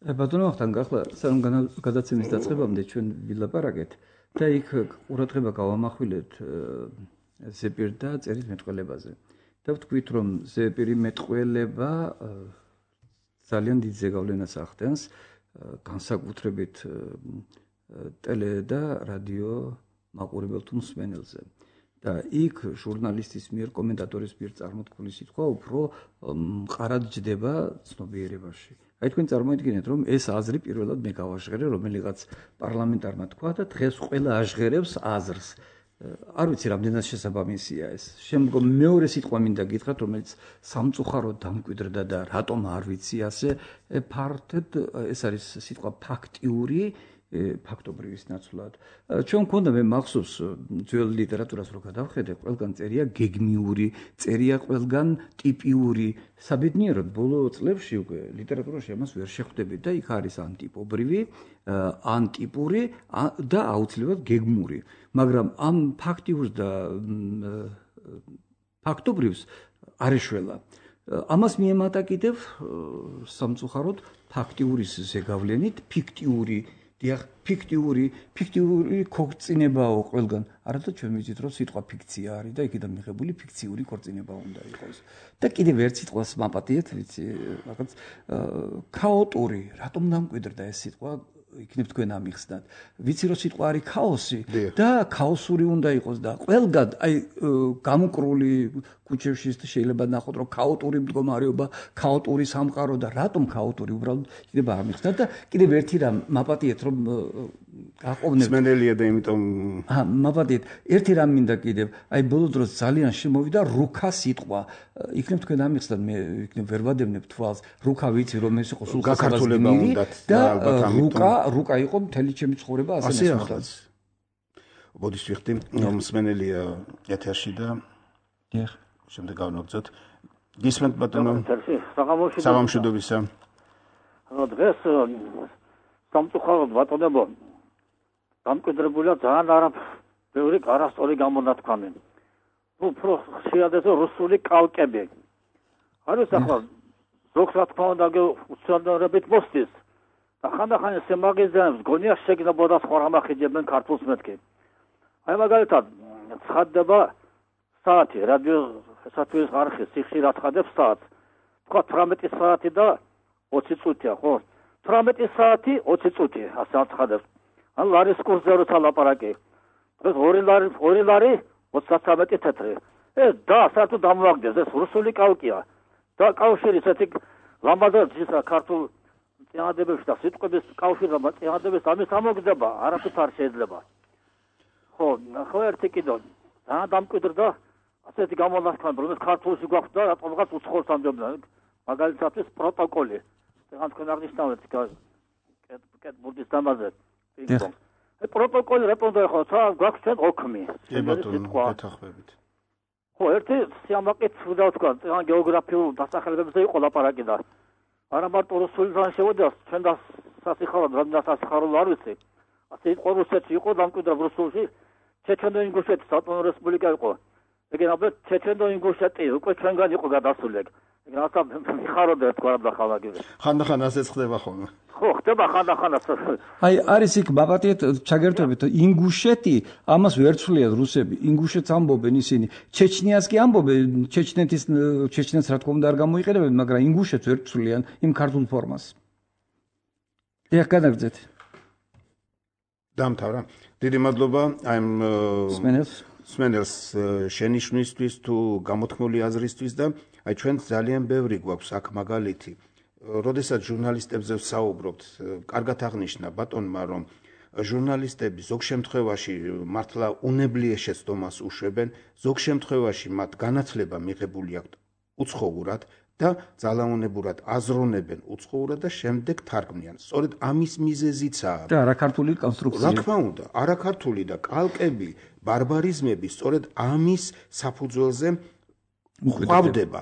ბატონო ვახტანგ ახლა სანამ გადაცემის დაწყებამდე ჩვენ ვილაპარაკეთ და იქ ყურადღება გავამახვილეთ ზეპირ და წერის მეტყველებაზე და ვთქვით რომ ზეპირი მეტყველება ძალიან დიდ ზეგავლენას ახდენს განსაკუთრებით ტელე და რადიო მაყურებელ თუ მსმენელზე და იქ ჟურნალისტის მიერ კომენტატორის მიერ წარმოთქმული სიტყვა უფრო მყარად ჯდება ცნობიერებაში აი თქვენ წარმოიდგინეთ რომ ეს აზრი პირველად მე გავაჟღერე რომელიღაც პარლამენტარმა თქვა და დღეს ყველა აჟღერებს აზრს არ ვიცი რამდენად შესაბამისია ეს შემდგომ მეორე სიტყვა მინდა გითხრათ რომელიც სამწუხაროდ დამკვიდრდა და რატომ არ ვიცი ასე ფართედ ეს არის სიტყვა ფაქტიური ფაქტობრივის ნაცვლად ჩვენ მქონდა მე მახსოვს ძველ ლიტერატურას რო გადავხედე ყველგან წერია გეგმიური წერია ყველგან ტიპიური საბედნიეროდ ბოლო წლებში უკვე ლიტერატურაში ამას ვერ შეხვდები და იქ არის ანტიპობრივი ანტიპური და აუცილებლად გეგმური მაგრამ ამ ფაქტიურს და ფაქტობრივს არ ეშველა ამას მიემატა კიდევ სამწუხაროდ ფაქტიურის ზეგავლენით ფიქტიური დიახ ფიქტიური ფიქტიური ქორწინებაო ყველგან არადა ჩვენ ვიცით რომ სიტყვა ფიქცია არის და იქიდან მიღებული ფიქციური ქორწინება უნდა იყოს და კიდევ ერთ სიტყვას მაპატიეთ ვიცი რაღაც ქაოტური რატომ დამკვიდრდა ეს სიტყვა იქნებ თქვენ ამიხსნათ ვიცი რომ სიტყვა არის ქაოსი და ქაოსური უნდა იყოს და ყველგან აი გამოკრული კუჩებში შეიძლება ნახოთ რომ ქაოტური მდგომარეობა ქაოტური სამყარო და რატომ ქაოტური უბრალოდ იქნება ამიხსნათ და კიდევ ერთი რამ მაპატიეთ რომ გაყოვნებ სმენელია და იმიტომ აა მაპატიეთ ერთი რამ მინდა კიდევ აი ბოლო დროს ძალიან შემოვიდა რუკა სიტყვა იქნებ თქვენ ამიხსნათ მე იქნებ ვერ ვადევნებ თვალს რუკა ვიცი რომ ეს იყო სულ გაქართულება უნდათ და რუკა რუკა იყო მთელი ჩემი ცხოვრება ასე ნახოთ ბოდიშ ვიხდი მსმენელია ეთერში და დიახ შემდეგ გავნაგზოთ გისმენთ ბატონო საღამოშიდობისა დღეს სამწუხაროდ ბატონებო დამკვიდრებულია ძალიან არაფერი არასწორი გამონათქვამი უფრო ხშირად რუსული კალკები არის ახლა ზოგს რა თქმა უნდა უცნაურებით მოსდის და ხანდახან ეს მაგაზინებს გონია შეგნებოდა სხვა რამ ახიჯებენ ქართულს მეთქი აი მაგალითად ცხადდება საათი რადიო სათვლის არხი სიხშირად ცხადებს საათს თქვა თვრამეტი საათი და ოცი წუთია ხო თვრამეტი საათი ოცი წუთი ასე ცხადებს ან ლარის კურსზე როცა ლაპარაკი ეს ორი ლარი ორი ლარი ოცდათვრამეტი თეთრი ეს და საათო დამოაგდეს ეს რუსული კალკია და კავშირი ესეთი ლამაზად ისა ქართულ წინადებებში და სიტყვების კავშირი და წინადების ამის ამოგდება არაფერს არ შეიძლება ხო ხო ერთი კიდო და დამკვიდრდა ასეთი გამონათქვამი რომ ეს ქართულში გვაქვს და რატომღაც უცხოელს ამბობენ მაგალითად ეს პროტოკოლი თან თქვენ აღნიშნავთ კეთ ბურდის დამაზე ეს პროტოკოლი რატომ დაიხო გვაქვს ჩვენ ოქმი კი ბატონო გეთახმებით ხო ერთი სიამაყით უნდა ვთქვა თან გეოგრაფიულ დასახელებებზე იყო ლაპარაკი და არა მარტო რუსულიდან შევიდა ჩვენ და სასიხარო რამდენად სასიხარო არ ვიცი ასე იყო რუსეთში იყო დამკვიდრა რუსულში ჩეჩენო ინგუშეთი საპონო რესპუბლიკა იყო. ეგ აბა ჩეჩენო ინგუშეთი უკვე ჩვენგან იყო გადასული ეგ. ეგ რაცა მიხაროდა თქვა და ხალაგები. ხანდახან ასეც ხდება ხოლმე. ხო, ხდება ხანდახან ასე. აი არის იქ ბაბატიეთ ჩაგერთვებით ინგუშეთი ამას ვერ ცვლიათ რუსები. ინგუშეთს ამბობენ ისინი. ჩეჩნიას კი ამბობენ, ჩეჩნეთის ჩეჩნეთს რა თქმა უნდა არ გამოიყენებენ, მაგრამ ინგუშეთს ვერ ცვლიან იმ ქართულ ფორმას. ეხ გადაგძეთ. დამთავრა. დიდი მადლობა აი სმენელს სმენელს შენიშვნისთვის თუ გამოთქმული აზრისთვის და აი ჩვენ ძალიან ბევრი გვაქვს აქ მაგალითი. როდესაც ჟურნალისტებზე ვსაუბრობთ, კარგად აღნიშნა ბატონმა, რომ ჟურნალისტები ზოგ შემთხვევაში მართლა უნებლიეს შეცდომას უშვებენ, ზოგ შემთხვევაში მათ განათლება მიღებული აქვთ უცხოურად და ძალაუნებურად აზროვნებენ უცხოურად და შემდეგ თარგმნიან. სწორედ ამის მიზეზიცაა. და არაქართული კონსტრუქცია. რა თქმა უნდა, არაქართული და კალკები, ბარბარიზმები სწორედ ამის საფუძველზე ხვავდება.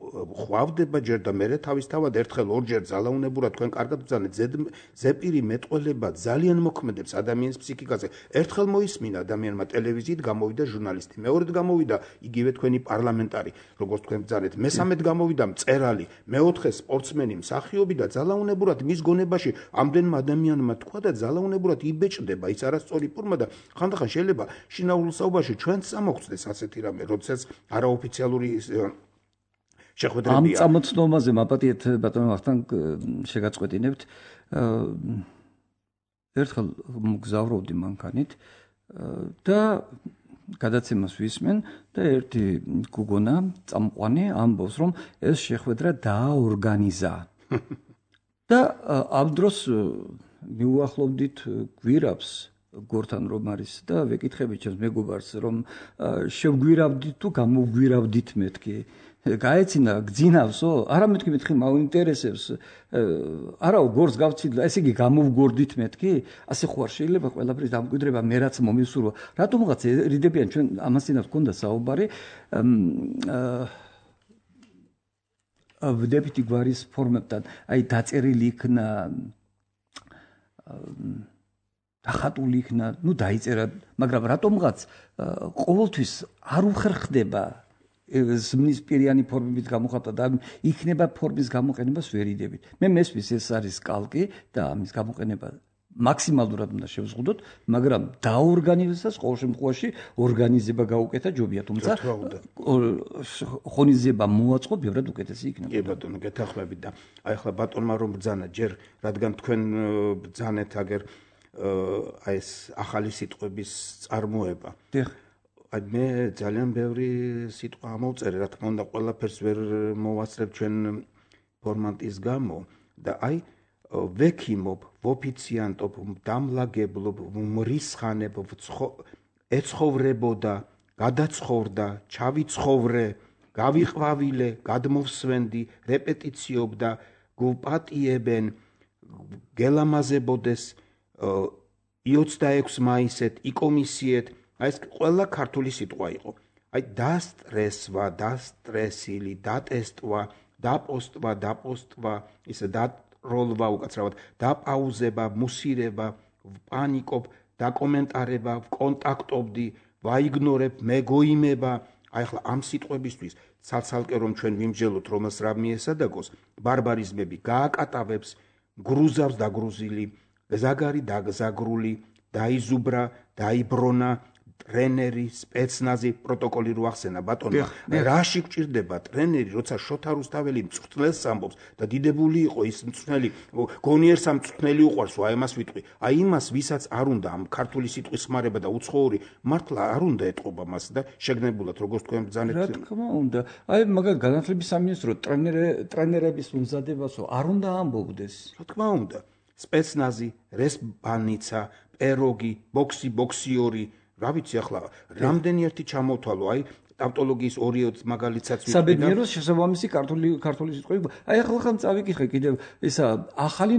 ხვავდება ჯერ და მერე თავისთავად ერთხელ ორჯერ ძალაუნებურად თქვენ კარგად ბრძანეთ ზეპირი მეტყველება ძალიან მოქმედებს ადამიანის ფსიქიკაზე. ერთხელ მოისმინა ადამიანმა ტელევიზიით გამოვიდა ჟურნალისტი, მეორედ გამოვიდა იგივე თქვენი პარლამენტარი, როგორც თქვენ ბრძანეთ, მესამედ გამოვიდა მწერალი, მეოთხე სპორტსმენი, მსახიობი და ძალაუნებურად მის გონებაში ამდენმა ადამიანმა თქვა და ძალაუნებურად იბეჭდება ის არასწორი ფორმა და ხანდახან შეიძლება შინაურ საუბარში ჩვენც ამოგწდეს ასეთი რამე, როდესაც არაოფიციალური ამ წამოწნობაზე მაპატიეთ ბატონო ახთან შეგაწყვეტინებთ. ერთხელ მგზავრობდი მანქანით და გადაცემას ვისმენ და ერთი გოგონა წამყვანი ამბობს, რომ ეს შეხვედრა დააორგანიზა. და ამ დროს მიუახლოვდით გვირაბს გორთან რომ არის და ვეკითხებით ჩემს მეგობარს, რომ შევგვირავდით თუ გამოვგვირავდით მეთქი. გაეცინა გძინავსო? არა მეთქი მეთქი მაინტერესებს. არაო გორს გავცილდა, ესე იგი გამოვგორდით მეთქი? ასე ხო არ შეიძლება ყველაფრის დამკვიდრება მე რაც მომისურვა. რატომღაც რიდებიან ჩვენ ამასინაც გქონდა საუბარი. ვდებითი გვარის ფორმებთან, აი დაწერილი იქნა დახატული იქნა, ნუ დაიწერა, მაგრამ რატომღაც ყოველთვის არ უხერხდება ზმნის პირიანი ფორმებით გამოხატვა და იქნება ფორმის გამოყენებას ვერ იდებით. მე მესმის ეს არის კალკი და ამის გამოყენება მაქსიმალურად უნდა შევზღუდოთ, მაგრამ დაორგანიზებას ყოველ შემთხვევაში ორგანიზება გაუკეთა ჯობია, თუმცა ხონიზება მოაწყო ბევრად უკეთესი იქნება. კი ბატონო, გეთანხმებით და აი ახლა ბატონმა რომ ბრძანა ჯერ, რადგან თქვენ ბრძანეთ აგერ აი ეს ახალი სიტყვების წარმოება. დიახ. აი მე ძალიან ბევრი სიტყვა ამოვწერე, რა თქმა უნდა, ყველაფერს ვერ მოვასწრებ ჩვენ ფორმატის გამო და აი ვექიმობ, ვოფიციანტობ, დამლაგებლობ, მრისხანებ, ეცხოვრებოდა, გადაცხოვრდა, ჩავიცხოვრე, გავიყვავილე, გადმოვსვენდი, რეპეტიციობდა, გუპატიებენ, გელამაზებოდეს, ოცდაექვსი მაისეთ, იკომისიეთ, აი ეს ყველა ქართული სიტყვა იყო. აი დასტრესვა, დასტრესილი, დატესტვა, დაპოსტვა, დაპოსტვა, ისე დაროლვა უკაცრავად, დაპაუზება, მუსირება, პანიკობ, დაკომენტარება, კონტაქტობდი, ვაიგნორებ, მეგოიმება. აი ახლა ამ სიტყვებისთვის ცალ-ცალკე რომ ჩვენ ვიმსჯელოთ, რომელს რა მიესადაგოს, ბარბარიზმები გააკატავებს, გრუზავს დაგრუზილი, ზაგარი დაგზაგრული, დაიზუბრა, დაიბრონა, ტრენერი, სპეცნაზი, პროტოკოლი რო ახსენა ბატონო. რაში გჭირდება ტრენერი, როცა შოთა რუსთაველი მწვრთნელს ამბობს და დიდებული იყო ის მწვრთნელი, გონიერს ამ მწვრთნელი უყვარს, აი ამას ვიტყვი. აი იმას, ვისაც არ უნდა ამ ქართული სიტყვის ხმარება და უცხოური, მართლა არ უნდა ეტყობა მას და შეგნებულად როგორც თქვენ ბრძანეთ. რა თქმა უნდა. აი მაგალითად განათლების სამინისტრო ტრენერების უმზადებასო არ უნდა ამბობდეს. რა თქმა უნდა. სპეცნაზი, რესპანიცა, პეროგი, ბოქსი, ბოქსიორი, რა ვიცი ახლა, რამდენი ერთი ჩამოვთვალო, აი ტავტოლოგიის ორი მაგალითსაც ვიტყვი. საბედნიეროს შესაბამისი ქართული ქართული სიტყვები. აი ახლა ხან წავიკითხე კიდევ ესა ახალი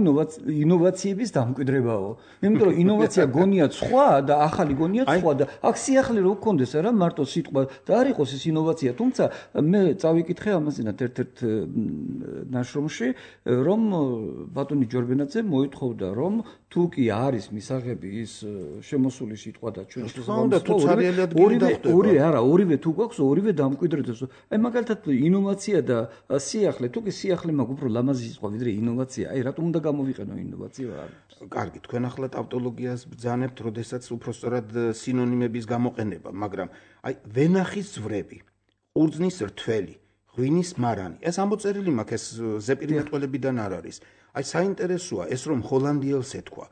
ინოვაციების დამკვიდრებაო. იმიტომ რომ ინოვაცია გონია სხვა და ახალი გონია სხვა და აქ სიახლე რო გქონდეს არა მარტო სიტყვა და არ იყოს ეს ინოვაცია, თუმცა მე წავიკითხე ამაზინათ ერთ-ერთ ნაშრომში, რომ ბატონი ჯორბენაძე მოითხოვდა, რომ თუ კი არის მისაღები ის შემოსული სიტყვა და ჩვენ შესაბამისად ორივე ორივე არა ორივე თუ გვაქვს ორივე დამკვიდრდეს. აი მაგალითად ინოვაცია და სიახლე, თუ კი სიახლე მაგ უფრო ლამაზი სიტყვა ვიდრე ინოვაცია, აი რატომ უნდა გამოვიყენო ინოვაცია? კარგი, თქვენ ახლა ტავტოლოგიას ბრძანებთ, როდესაც უფრო სწორად სინონიმების გამოყენება, მაგრამ აი ვენახის ზვრები, ყურძნის რთველი, ღვინის მარანი, ეს ამოწერილი მაქვს, ეს ზეპირი მეტყველებიდან არ არის. აი საინტერესოა ეს რომ ჰოლანდიელს ეთქვა,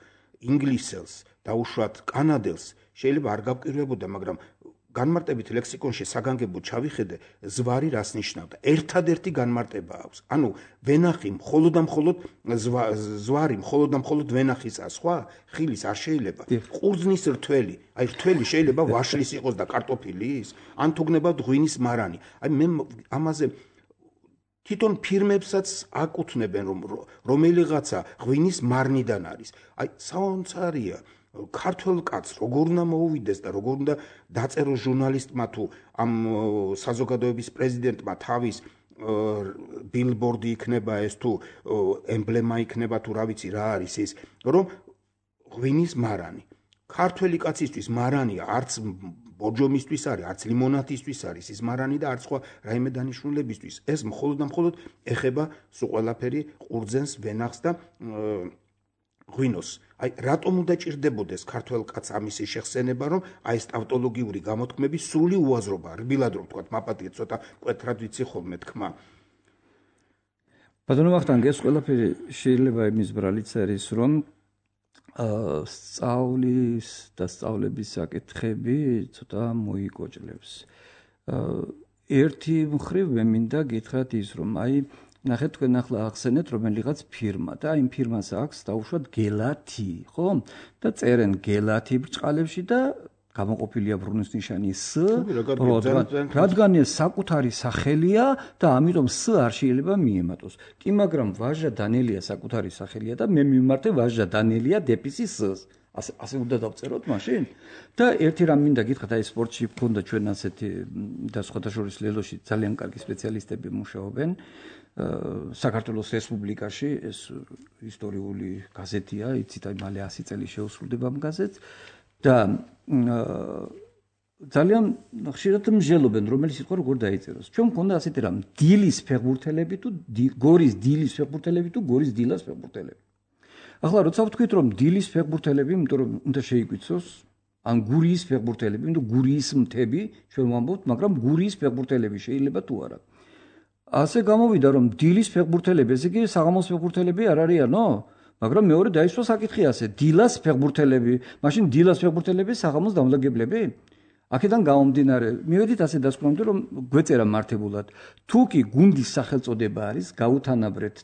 ინგლისელს და უშუალოდ კანადელს შეიძლება არ გავკირვებოდა, მაგრამ განმარტებით ლექსიკონში საგანგებოდ ჩავიხედე, ზვარი რას ნიშნავდა. ერთადერთი განმარტება აქვს. ანუ ვენახი მხოლოდ და მხოლოდ ზვარი მხოლოდ და მხოლოდ ვენახისაა, სხვა ხილის არ შეიძლება. ყურძნის რთველი, აი რთველი შეიძლება ვაშლის იყოს და კარტოფილის, ან თუ გნებავთ ღვინის მარანი. აი მე ამაზე თვითონ ფირმებსაც აკუთვნებენ, რომ რომელიღაცა ღვინის მარნიდან არის. აი საოცარია. ქართველ კაცს როგორ უნდა მოუვიდეს და როგორ უნდა დაწეროს ჟურნალისტმა თუ ამ საზოგადოების პრეზიდენტმა თავის ბილბორდი იქნება ეს თუ ემბლემა იქნება თუ რა ვიცი რა არის ის, რომ ღვინის მარანი. ქართველი კაცისთვის მარანია, არც ბორჯომისთვის არის, არც ლიმონათისთვის არის ის მარანი და არც სხვა რაიმე დანიშნულებისთვის. ეს მხოლოდ და მხოლოდ ეხება სულ ყველაფერი ყურძენს, ვენახს და ღვინოს. აი რატომ უნდა ჭირდებოდეს ქართველ კაცს ამისი შეხსენება, რომ აი ეს ტავტოლოგიური გამოთქმების სრული უაზრობა, რბილად რომ ვთქვათ, მაპატიეთ ცოტა მკვეთრად ვიცი ხოლმე თქმა. ბატონო ვახტანგ, ეს ყველაფერი შეიძლება იმის ბრალიც არის, რომ სწავლის და სწავლების საკითხები ცოტა მოიკოჭლებს. ერთი მხრივ მე მინდა გითხრათ ის, რომ აი ნახეთ თქვენ ახლა ახსენეთ რომელიღაც ფირმა და იმ ფირმას აქვს დაუშვათ გელათი, ხო? და წერენ გელათი ბრჭყალებში და გამოყოფილია ბრუნვის ნიშანი S, რადგან ეს საკუთარი სახელია და ამიტომ S არ შეიძლება მიემატოს. კი, მაგრამ ვაჟა დანელია საკუთარი სახელია და მე მიმართე ვაჟა დანელია დეპისი S. ასე ასე უნდა დავწეროთ მაშინ? და ერთი რამ მინდა გითხრათ, აი სპორტში გქონდა ჩვენ ასეთი და სხვათა შორის ლელოში ძალიან კარგი სპეციალისტები მუშაობენ. საქართველოს რესპუბლიკაში ეს ისტორიული გაზეთია, იცით, აი მალე ასი წელი შეუსრულდება ამ გაზეთს და ძალიან ხშირად მსჯელობენ, რომელი სიტყვა როგორ დაიწეროს. ჩვენ მქონდა ასეთი რამ, დილის ფეხბურთელები თუ გორის დილის ფეხბურთელები თუ გორის დილას ფეხბურთელები. ახლა როცა ვთქვით, რომ დილის ფეხბურთელები, იმიტომ რომ უნდა შეიკვიცოს, ან გურიის ფეხბურთელები, იმიტომ გურიის მთები, ჩვენ ვამბობთ, მაგრამ გურიის ფეხბურთელები შეიძლება თუ არა. ასე გამოვიდა, რომ დილის ფეხბურთელები, ესე იგი საღამოს ფეხბურთელები არ არიანო? მაგრამ მეორე დაისვა საკითხი ასე, დილას ფეხბურთელები, მაშინ დილას ფეხბურთელები საღამოს დამლაგებლები? აქედან გამომდინარე, მივედით ასე დასკვნამდე, რომ გვეწერა მართებულად, თუ კი გუნდის სახელწოდება არის, გაუთანაბრეთ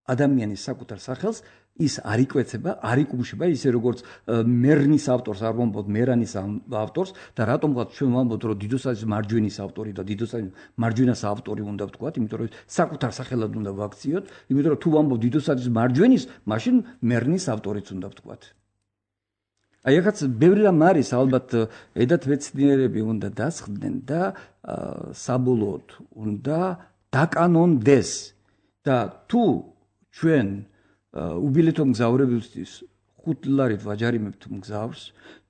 ადამიანის საკუთარ სახელს, ის არ იკვეცება, არ იკუმშება, ისე როგორც მერნის ავტორს არ ვამბობთ მერანის ავტორს და რატომღაც ჩვენ ვამბობთ, რომ დიდოსაძის მარჯვენის ავტორი და დიდოსაძის მარჯვენას ავტორი უნდა ვთქვათ, იმიტომ რომ საკუთარ სახელად უნდა ვაქციოთ, იმიტომ რომ თუ ვამბობთ დიდოსაძის მარჯვენის, მაშინ მერნის ავტორიც უნდა ვთქვათ. აი ახაც ბევრი რამ არის, ალბათ ედათ მეცნიერები უნდა დასხდნენ და საბოლოოდ უნდა დაკანონდეს და თუ ჩვენ უბილეთო მგზავრებისთვის ხუთ ლარით ვაჯარიმებთ მგზავრს,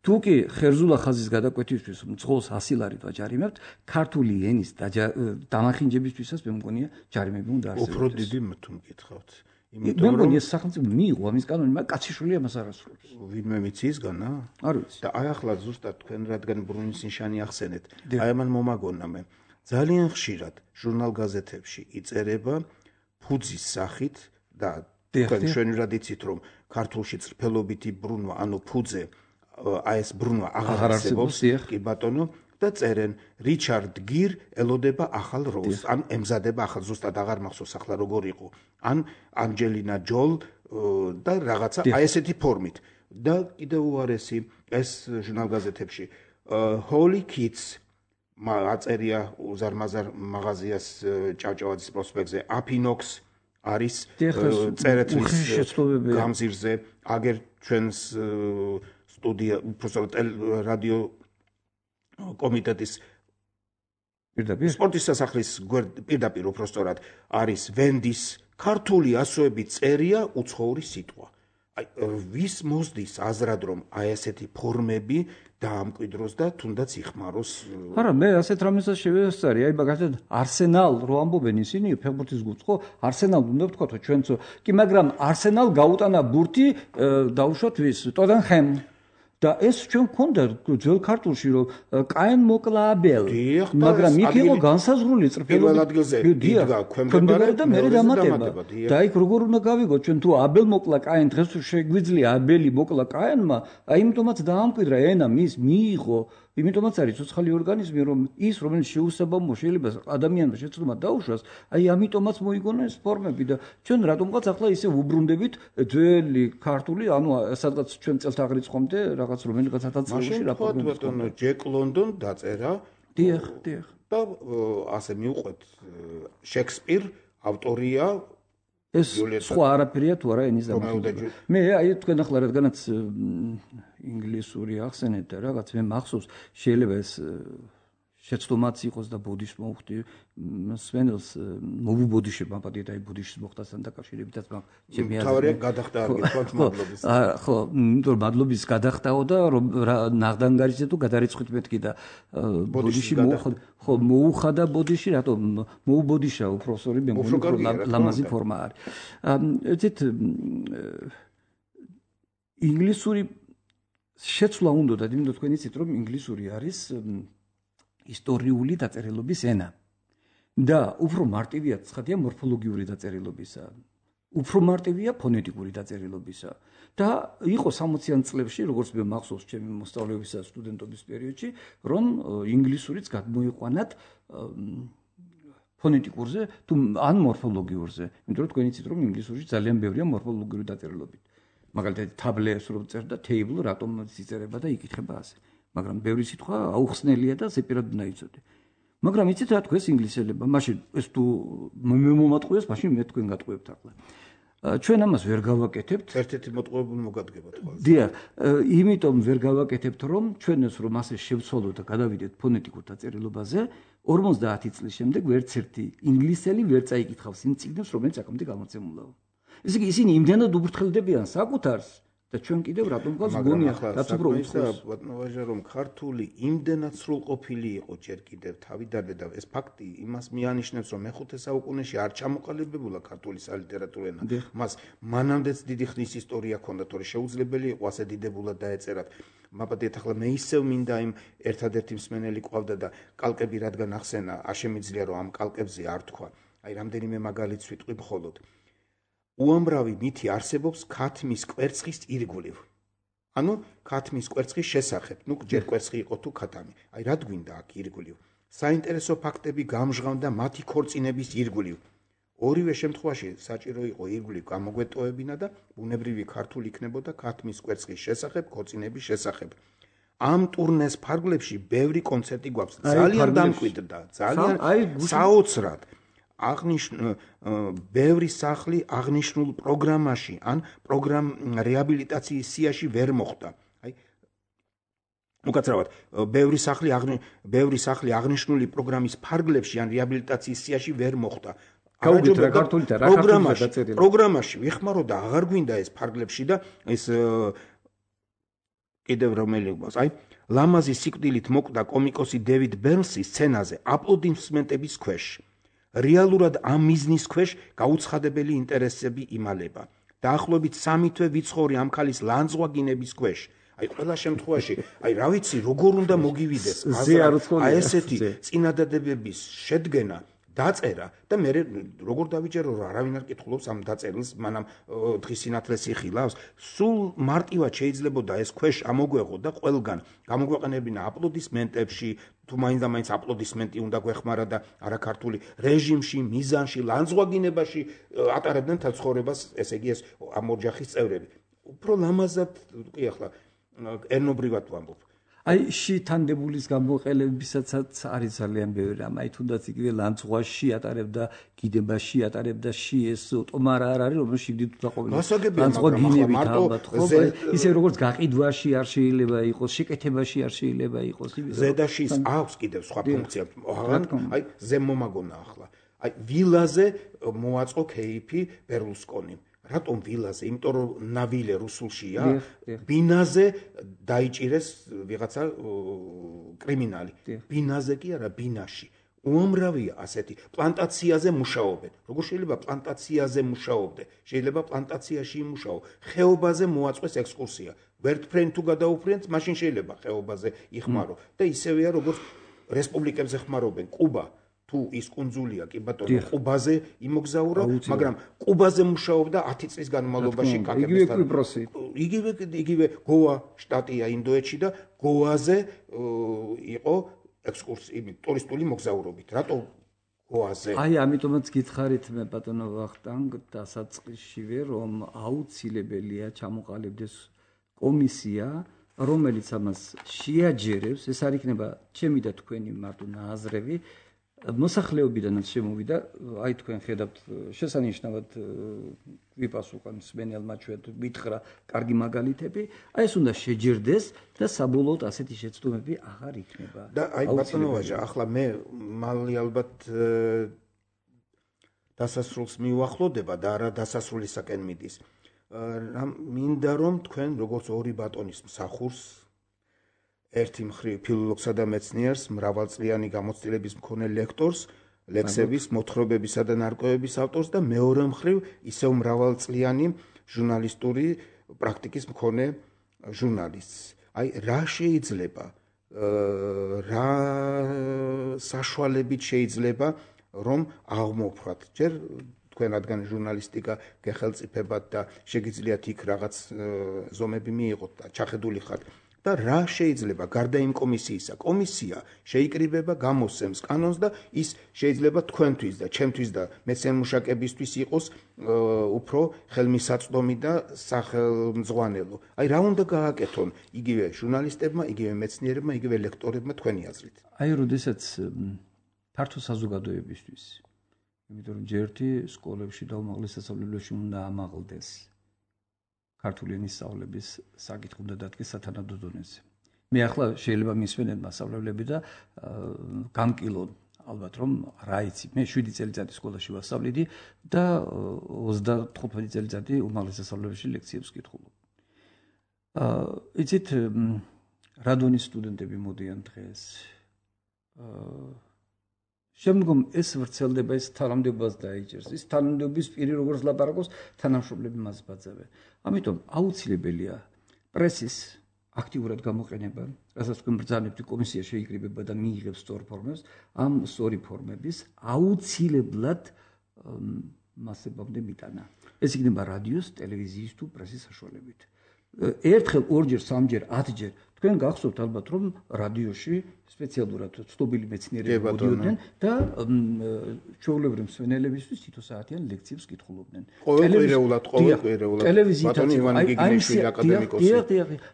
თუ კი ხერზულა ხაზის გადაკვეთისთვის მძღოლს ასი ლარით ვაჯარიმებთ, ქართული ენის დამახინჯებისთვისაც მე მგონია ჯარიმები უნდა არსებობდეს. უფრო დიდი თუ მკითხავთ. იმიტომ რომ ეს სახელმწიფო მიიღო ამის კანონი, მაგრამ კაციშვილი ამას არ ასრულებს. ვინმე მიცისგანა? არ ვიცი. და აი ახლა ზუსტად თქვენ რადგან ბრუნის ნიშანი ახსენეთ, აი ამან მომაგონა მე. ძალიან ხშირად ჟურნალ-გაზეთებში იწერება ფუძის სახით და თქვენ ჩვენურად იცით, რომ ქართულში წრფელობითი ბრუნვა, ანუ ფუძე, აი ეს ბრუნვა აღარ არსებობს, კი ბატონო, და წერენ რიჩარდ გირ ელოდება ახალ როლს, ან ემზადება ახალ, ზუსტად აღარ მახსოვს ახლა როგორ იყო, ან ანჯელინა ჯოლ და რაღაცა აი ესეთი ფორმით. და კიდევ უარესი ეს ჟურნალ-გაზეთებში Holy Kids აწერია უზარმაზარ მაღაზიას ჭავჭავაძის პროსპექტზე აფინოქს არის წერეთლის გამზირზე აგერ ჩვენს სტუდია უბრალოდ რადიო კომიტეტის პირდაპირ სპორტის სასახლის პირდაპირ უბრალოდ არის ვენდის ქართული ასოები წერია უცხოური სიტყვა. აი ვის მოსდის აზრად რომ აი ესეთი ფორმები დაამკვიდროს და თუნდაც იხმაროს. არა, მე ასეთ რამესაც შევესწარი, აი მაგალითად არსენალ რო ამბობენ ისინი ფეხბურთის გუნდს ხო, არსენალ უნდა ვთქვათო ჩვენც, კი მაგრამ არსენალ გაუტანა ბურთი დაუშვათ ვის, ტოტენჰემ და ეს ჩვენ გქონდა ძველ ქართულში რომ კაენ მოკლა აბელ, მაგრამ იქ იყო განსაზღვრული წრფელი. პირველ ადგილზე იდგა ქვემდებარე და მე დამატება. და იქ როგორ უნდა გავიგოთ ჩვენ თუ აბელ მოკლა კაენ დღეს თუ შეგვიძლია აბელი მოკლა კაენმა, აი იმიტომაც დაამკვიდრა ენა მის მიიღო, იმიტომაც არის ცოცხალი ორგანიზმი რომ ის რომელიც შეუსაბამო შეიძლება ადამიანმა შეცდომა დაუშვას, აი ამიტომაც მოიგონა ეს ფორმები და ჩვენ რატომღაც ახლა ისე უბრუნდებით ძველი ქართული, ანუ სადღაც ჩვენ წელთაღრიცხვამდე რაღაც რომელიღაც ათასწლეულში რა ფორმები ბატონო ჯეკ ლონდონ დაწერა. დიახ, დიახ. და ასე მიუყვეთ შექსპირ ავტორია ეს სხვა არაფერია თუ არა ენის დამახვილება. მე აი თქვენ ახლა რადგანაც ინგლისური ახსენეთ და რაღაც მე მახსოვს შეიძლება ეს შეცდომაც იყოს და ბოდიშს მოვხდი სვენელს მოვუბოდიშებ ამბადით აი ბოდიშის მოხდასთან დაკავშირებითაც მაგ ჩემი აზრით თავარია გადახდა არ გიქვათ მადლობის. ხო, იმიტომ მადლობის გადახდაო და რომ ნაღდანგარიზე თუ გადარიცხვით მეთქი და ბოდიში მოუხდა ხო მოუხდა ბოდიში რატომ მოუბოდიშა უბრალოდ მე მგონი ლამაზი ფორმა არის. ეცეთ ინგლისური შეცვლა უნდა და იმიტომ თქვენ იცით რომ ინგლისური არის ისტორიული დაწერილობის ენა და უფრო მარტივია ცხადია მორფოლოგიური დაწერილობისა, უფრო მარტივია ფონეტიკური დაწერილობისა და იყო სამოციან წლებში, როგორც მე მახსოვს ჩემი მოსწავლეობისა სტუდენტობის პერიოდში, რომ ინგლისურიც გადმოიყვანათ ფონეტიკურზე თუ ან მორფოლოგიურზე, იმიტომ რომ თქვენ იცით რომ ინგლისურში ძალიან ბევრია მორფოლოგიური დაწერილობები. მაგალითად თაბლეს რო წერდა table რატომ იწერება და იკითხება ასე. მაგრამ ბევრი სიტყვა აუხსნელია და ზეპირად უნდა იცოდე. მაგრამ იცით რა თქვენს ინგლისელებმა, მაშინ ეს თუ მე მომატყუეს, მაშინ მე თქვენ გატყუებთ ახლა. ჩვენ ამას ვერ გავაკეთებთ. ერთ-ერთი მოტყუებული მოგადგებათ ხოლმე. დიახ, იმიტომ ვერ გავაკეთებთ, რომ ჩვენ ეს რომ ასე შევცვალოთ და გადავიდეთ ფონეტიკურ დაწერილობაზე, ორმოცდაათი წლის შემდეგ ვერც ერთი ინგლისელი ვერ წაიკითხავს იმ წიგნებს, რომელიც აქამდე გამოცემულაა. ესე იგი ისინი იმდენად უბურთხელდებიან საკუთარს და ჩვენ კიდევ რატომღაც გონია რაც უფრო უცხოს ბატონო რომ ქართული იმდენად სრულყოფილი იყო ჯერ კიდევ თავიდანვე და ეს ფაქტი იმას მიანიშნებს რომ მეხუთე საუკუნეში არ ჩამოყალიბებულა ქართული სალიტერატურო ენა მას მანამდეც დიდი ხნის ისტორია ჰქონდა თორე შეუძლებელი იყო ასე დიდებულად დაეწერათ მაბადეთ ახლა მე ისევ მინდა იმ ერთადერთი მსმენელი ყავდა და კალკები რადგან ახსენა არ შემიძლია რომ ამ კალკებზე არ თქვა აი რამდენიმე მაგალითს ვიტყვი მხოლოდ უამრავი მითი არსებობს ქათმის კვერცხის ირგვლივ. ანუ ქათმის კვერცხის შესახებ, ნუ ჯერ კვერცხი იყო თუ ქათამი. აი რა გვინდა აქ ირგვლივ. საინტერესო ფაქტები გამჟღავნდა მათი ქორწინების ირგვლივ. ორივე შემთხვევაში საჭირო იყო ირგვლივ გამოგვეტოვებინა და ბუნებრივი ქართული იქნებოდა ქათმის კვერცხის შესახებ, ქორწინების შესახებ. ამ ტურნეს ფარგლებში ბევრი კონცერტი გვაქვს. ძალიან დამკვიდრდა, ძალიან საოცრად. აღნიშნულ ბევრი სახლი აღნიშნულ პროგრამაში ან პროგრამ რეაბილიტაციის სიაში ვერ მოხდა. აი უკაცრავად ბევრი სახლი ბევრი სახლი აღნიშნული პროგრამის ფარგლებში ან რეაბილიტაციის სიაში ვერ მოხდა. გაუგეთ რა ქართული და რა ქართული დაწერილი. პროგრამაში ვიხმარო და აღარ გვინდა ეს ფარგლებში და ეს კიდევ რომელი გვაქვს. აი ლამაზი სიკვდილით მოკვდა კომიკოსი დევიდ ბერნსი სცენაზე აპლოდისმენტების ქვეშ. რეალურად ამ მიზნის ქვეშ გაუცხადებელი ინტერესები იმალება. დაახლოებით სამი თვე ვიცხოვრი ამ ხალის ლანძღვაგინების ქვეშ. აი ყველა შემთხვევაში, აი რა ვიცი, როგორ უნდა მოგივიდეს აი ესეთი წინადადებების შედგენა, დაწერა და მე როგორ დავიჯერო რომ არავინ არ კითხულობს ამ დაწერილს, მანამ დღის სინათლეს იხილავს. სულ მარტივად შეიძლებოდა ეს ქვეშ ამოგვეღო და ყველგან გამოგვეყენებინა აპლოდისმენტებში თუ მაინც და მაინც აპლოდისმენტი უნდა გვეხმარა და არაქართული რეჟიმში, მიზანში, ლანძღვაგინებაში ატარებდნენ თელ ცხოვრებას, ესე იგი ეს ამ ოჯახის წევრები. უფრო ლამაზად კი ახლა ერნობრივად ვამბობ. აი შეთანდებულის გამოყელებისაცაც არის ძალიან ბევრი რამ. აი თუნდაც იგივე ლანცღვაში ატარებდა, გიდებაში ატარებდა შიეს ტომარა არ არის, რომელიც შიგდით უთაყოფილი. ლანცღვა გინებით ალბათ, ხო? ისე როგორც გაყიდვაში არ შეიძლება იყოს, შეკეთებაში არ შეიძლება იყოს. ზედაშის აქვს კიდევ სხვა ფუნქცია. აი ზემომაგონა ახლა. აი ვილაზე მოაწყო кейფი ბერლუსკონიმ. რატომ ვილაზე? იმიტომ რომ ნავილე რუსულშია, ბინაზე დაიჭირეს ვიღაცა კრიმინალი. ბინაზე კი არა, ბინაში. უამრავია ასეთი. პლანტაციაზე მუშაობენ. როგორ შეიძლება პლანტაციაზე მუშაობდე? შეიძლება პლანტაციაში იმუშაო. ხეობაზე მოაწყვეს ექსკურსია. ვერტფრენ თუ გადაუფრენთ, მაშინ შეიძლება ხეობაზე იხმარო. და ისევეა როგორც რესპუბლიკებზე ხმარობენ. კუბა თუ ის კუნძულია კი ბატონო ყუბაზე იმოგზაურა, მაგრამ ყუბაზე მუშაობდა ათი წლის განმავლობაში კაკებისთან. იგივე იგივე გოა შტატია ინდოეთში და გოაზე იყო ექსკურსია, ტურისტული მოგზაურობით. რატო გოაზე? აი ამიტომაც გითხარით მე ბატონო ვახტანგ დასაწყისშივე რომ აუცილებელია ჩამოყალიბდეს კომისია, რომელიც ამას შეაჯერებს, ეს არ იქნება ჩემი და თქვენი მარტო ნაზრები. მოსახლეობიდანაც შემოვიდა, აი თქვენ ხედავთ შესანიშნავად ვიპასუხან სმენელმა ჩვენ მითხრა კარგი მაგალითები, აი ეს უნდა შეჯერდეს და საბოლოოდ ასეთი შეცდომები აღარ იქნება. და აი ბატონო ვაჟა, ახლა მე მალე ალბათ დასასრულს მივახლოვდება და არა დასასრულისაკენ მიდის. მინდა რომ თქვენ როგორც ორი ბატონის მსახურს ერთი მხრივ ფილოლოგსა და მეცნიერს, მრავალწლიანი გამოცდილების მქონე ლექტორს, ლექსების, მოთხრობებისა და ნარკვევების ავტორს და მეორე მხრივ ისევ მრავალწლიანი ჟურნალისტური პრაქტიკის მქონე ჟურნალისტს. აი რა შეიძლება, რა საშუალებით შეიძლება რომ აღმოფხვრათ. ჯერ თქვენ რადგან ჟურნალისტიკა გეხელწიფებათ და შეგიძლიათ იქ რაღაც ზომები მიიღოთ და ჩახედული ხართ. და რა შეიძლება გარდა იმ კომისიისა? კომისია შეიკრიბება, გამოსცემს კანონს და ის შეიძლება თქვენთვის და ჩემთვის და მეცნიერ-მუშაკებისთვის იყოს უფრო ხელმისაწვდომი და სახელმძღვანელო. აი რა უნდა გააკეთონ იგივე ჟურნალისტებმა, იგივე მეცნიერებმა, იგივე ლექტორებმა თქვენი აზრით? აი როდესაც ფართო საზოგადოებისთვის, იმიტომ რომ ჯერთი სკოლებში და უმაღლეს სასწავლებლებში უნდა ამაღლდეს ქართული ენის სწავლების საკითხი უნდა დადგეს სათანადო დონეზე. მე ახლა შეიძლება მისვენენ მასწავლებლები და გამკილონ ალბათ რომ რა იცი, მე შვიდი წელიწადი სკოლაში ვასწავლიდი და ოცდათხუთმეტი წელიწადი უმაღლეს სასწავლებელში ლექციებს ვკითხულობ. აა იცით რა დონის სტუდენტები მოდიან დღეს? აა შემდგომ ეს ვრცელდება, ეს თანამდებობას დაიჭერს. ის თანამდებობის პირი როგორც ლაპარაკობს, თანამშრომლები მას ბაძავენ. ამიტომ აუცილებელია პრესის აქტიურად გამოყენება, რასაც თქვენ ბრძანებთ, კომისია შეიკრიბება და მიიღებს სწორ ფორმებს, ამ სწორი ფორმების აუცილებლად მასებამდე მიტანა. ეს იქნება რადიოს, ტელევიზიის თუ პრესის საშუალებით. ერთხელ, ორჯერ, სამჯერ, ათჯერ თქვენ გახსოვთ ალბათ რომ რადიოში სპეციალურად ცნობილი მეცნიერები მოდიოდნენ და ჩვეულებრივ მსმენელებისთვის თითო საათიან ლექციებს კითხულობდნენ. ყოველკვირეულად, ყოველკვირეულად. ტელევიზიითაც ივანე გიგინიშვილი აკადემიკოსი.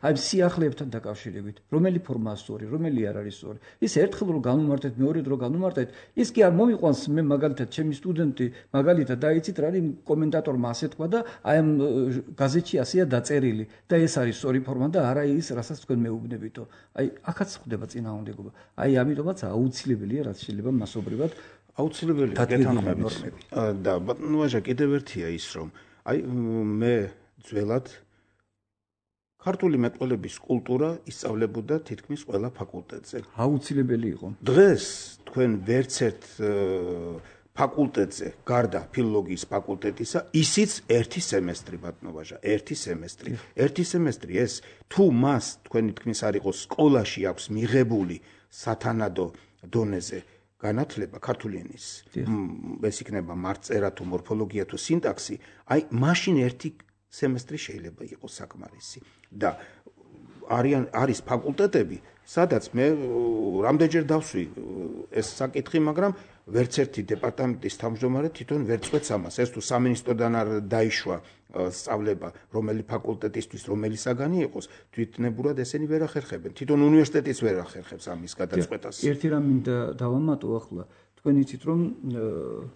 აი სიახლეებთან დაკავშირებით, რომელი ფორმაა სწორი, რომელი არ არის სწორი. ის ერთხელ რომ განუმარტეთ, მეორედ რომ განუმარტეთ, ის კი არ მომიყვანს მე მაგალითად ჩემი სტუდენტი მაგალითად დაიცით რა არის კომენტატორმა ასე თქვა და აი ამ გაზეთში ასეა დაწერილი და ეს არის სწორი ფორმა და არა ის რასაც თქვენ მეუბნებითო. აი აქაც ხდება წინააღმდეგობა. აი ამიტომაც აუცილებელია რაც შეიძლება მასობრივად აუცილებელია გეთანხმებით. და ბატონო ვაჟა კიდევ ერთია ის რომ აი მე ძველად ქართული მეტყველების კულტურა ისწავლებოდა თითქმის ყველა ფაკულტეტზე. აუცილებელი იყო. დღეს თქვენ ვერც ერთ ფაკულტეტზე გარდა ფილოლოგიის ფაკულტეტისა ისიც ერთი სემესტრი ბატონო ვაჟა, ერთი სემესტრი. ერთი სემესტრი ეს თუ მას თქვენი თქმის არ იყოს სკოლაში აქვს მიღებული სათანადო დონეზე განათლება ქართული ენის. ეს იქნება მარწერა თუ მორფოლოგია თუ სინტაქსი, აი მაშინ ერთი სემესტრი შეიძლება იყოს საკმარისი. და არიან არის ფაკულტეტები, სადაც მე რამდენჯერ დავსვი ეს საკითხი, მაგრამ ვერც ერთი დეპარტამენტის თავმჯდომარე თვითონ ვერ წვეთს ამას. ეს თუ სამინისტროდან არ დაიშვა სწავლება, რომელი ფაკულტეტისთვის რომელი საგანი იყოს, თვითნებურად ესენი ვერ ახერხებენ. თვითონ უნივერსიტეტიც ვერ ახერხებს ამის გადაწყვეტას. ერთი რამ მინდა დავამატო ახლა. თქვენ იცით რომ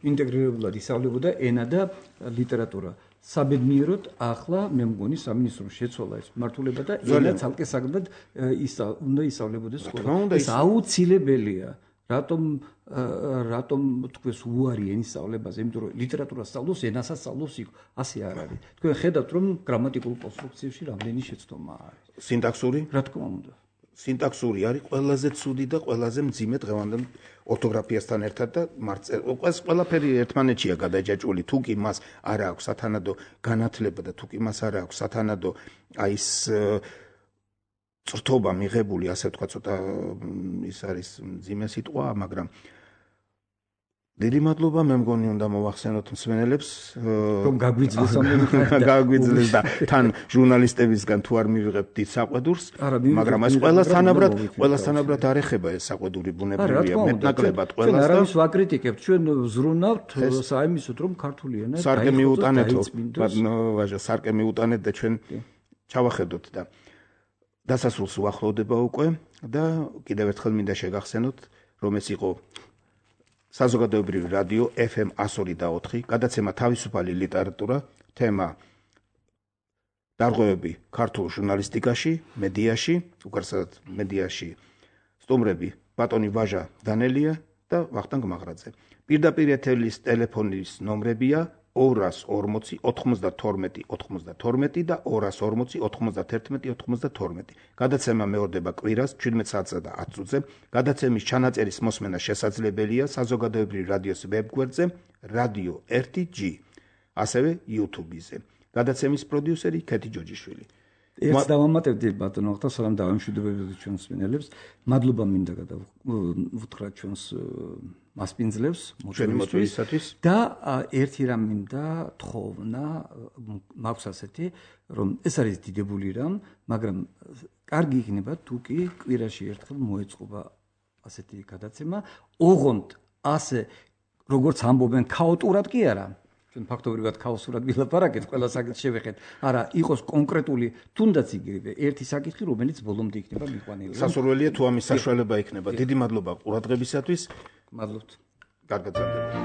ინტეგრირებულად ისწავლებოდა ენა და ლიტერატურა. საბედნიეროდ ახლა მე მგონი სამინისტრომ შეცვალა ეს მართულება და ენა ცალკე საგნად უნდა ისწავლებოდეს სკოლა. ეს აუცილებელია. რატომ რატომ თქვენს უარი ენის სწავლებაზე, იმიტომ რომ ლიტერატურას სწავლობს, ენასაც სწავლობს იქ, ასე არ არის. თქვენ ხედავთ რომ გრამატიკულ კონსტრუქციებში რამდენი შეცდომა არის. სინტაქსური? რა თქმა უნდა. სინტაქსური არის ყველაზე ცუდი და ყველაზე მძიმე დღევანდელ ორთოგრაფიასთან ერთად და მარწერს ყველაფერი ერთმანეთშია გადაჯაჭვული. თუ კი მას არ აქვს სათანადო განათლება და თუ კი მას არ აქვს სათანადო აი ეს წრთობა მიღებული, ასე ვთქვა, ცოტა ის არის მძიმე სიტყვა, მაგრამ დიდი მადლობა, მე მგონი უნდა მოვახსენოთ მსმენელებს, რომ გაგვიძლეს გაგვიძლეს და თან ჟურნალისტებისგან თუ არ მივიღებთ დიდ საყვედურს, მაგრამ ეს ყველასთანაბრად, ყველასთანაბრად არ ეხება ეს საყვედური ბუნებრივია, მეტნაკლებად ყველას და არავის ვაკრიტიკებთ, ჩვენ ვზრუნავთ საიმისოდ, რომ ქართული ენა სარკე მიუტანეთო, ვაჟა, სარკე მიუტანეთ და ჩვენ ჩავახედოთ და დასასრულს უახლოვდება უკვე და კიდევ ერთხელ მინდა შეგახსენოთ, რომ ეს იყო საზოგადოებრივი რადიო ეფ ემ εκατს ორი და ოთხი, გადაცემა თავისუფალი ლიტერატურა, თემა დარღვევები ქართულ ჟურნალისტიკაში, მედიაში, უკეთესად მედიაში სტუმრები ბატონი ვაჟა დანელია და ვახტანგ მაღრაძე. პირდაპირ ეთერის ტელეფონის ნომრებია ორას ორმოცი ოთხმოცდათორმეტი ოთხმოცდათორმეტი და ორას ორმოცი ოთხმოცდათერთმეტი ოთხმოცდათორმეტი. გადაცემა მეორდება კვირას ჩვიდმეტ საათსა და ათ წუთზე. გადაცემის ჩანაწერის მოსმენა შესაძლებელია საზოგადოებრივი რადიოს ვებგვერდზე რადიო ერთი ჯი, ასევე YouTube-ზე. გადაცემის პროდიუსერი ქეთი ჯოჯიშვილი. ერთს დავამატებდი ბატონო ახლა სალამ დავამშვიდობებდი ჩვენს მსმენელებს. მადლობა მინდა გადავუთხრათ ჩვენს მასპინძლებს მოწვევისათვის და ერთი რამ მინდა თხოვნა მაქვს ასეთი რომ ეს არის დიდებული რამ, მაგრამ კარგი იქნება თუ კი კვირაში ერთხელ მოეწყობა ასეთი გადაცემა, ოღონდ ასე როგორც ამბობენ ქაოტურად კი არა. ჩვენ ფაქტობრივად ქაოსურად ვილაპარაკეთ, ყველა საკითხს შევეხეთ. არა, იყოს კონკრეტული, თუნდაც იგივე ერთი საკითხი, რომელიც ბოლომდე იქნება მიყვანილი. სასურველია თუ ამის საშუალება იქნება. დიდი მადლობა ყურადღებისათვის. მადლობთ. კარგად გრძელდება.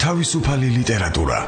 თავისუფალი ლიტერატურა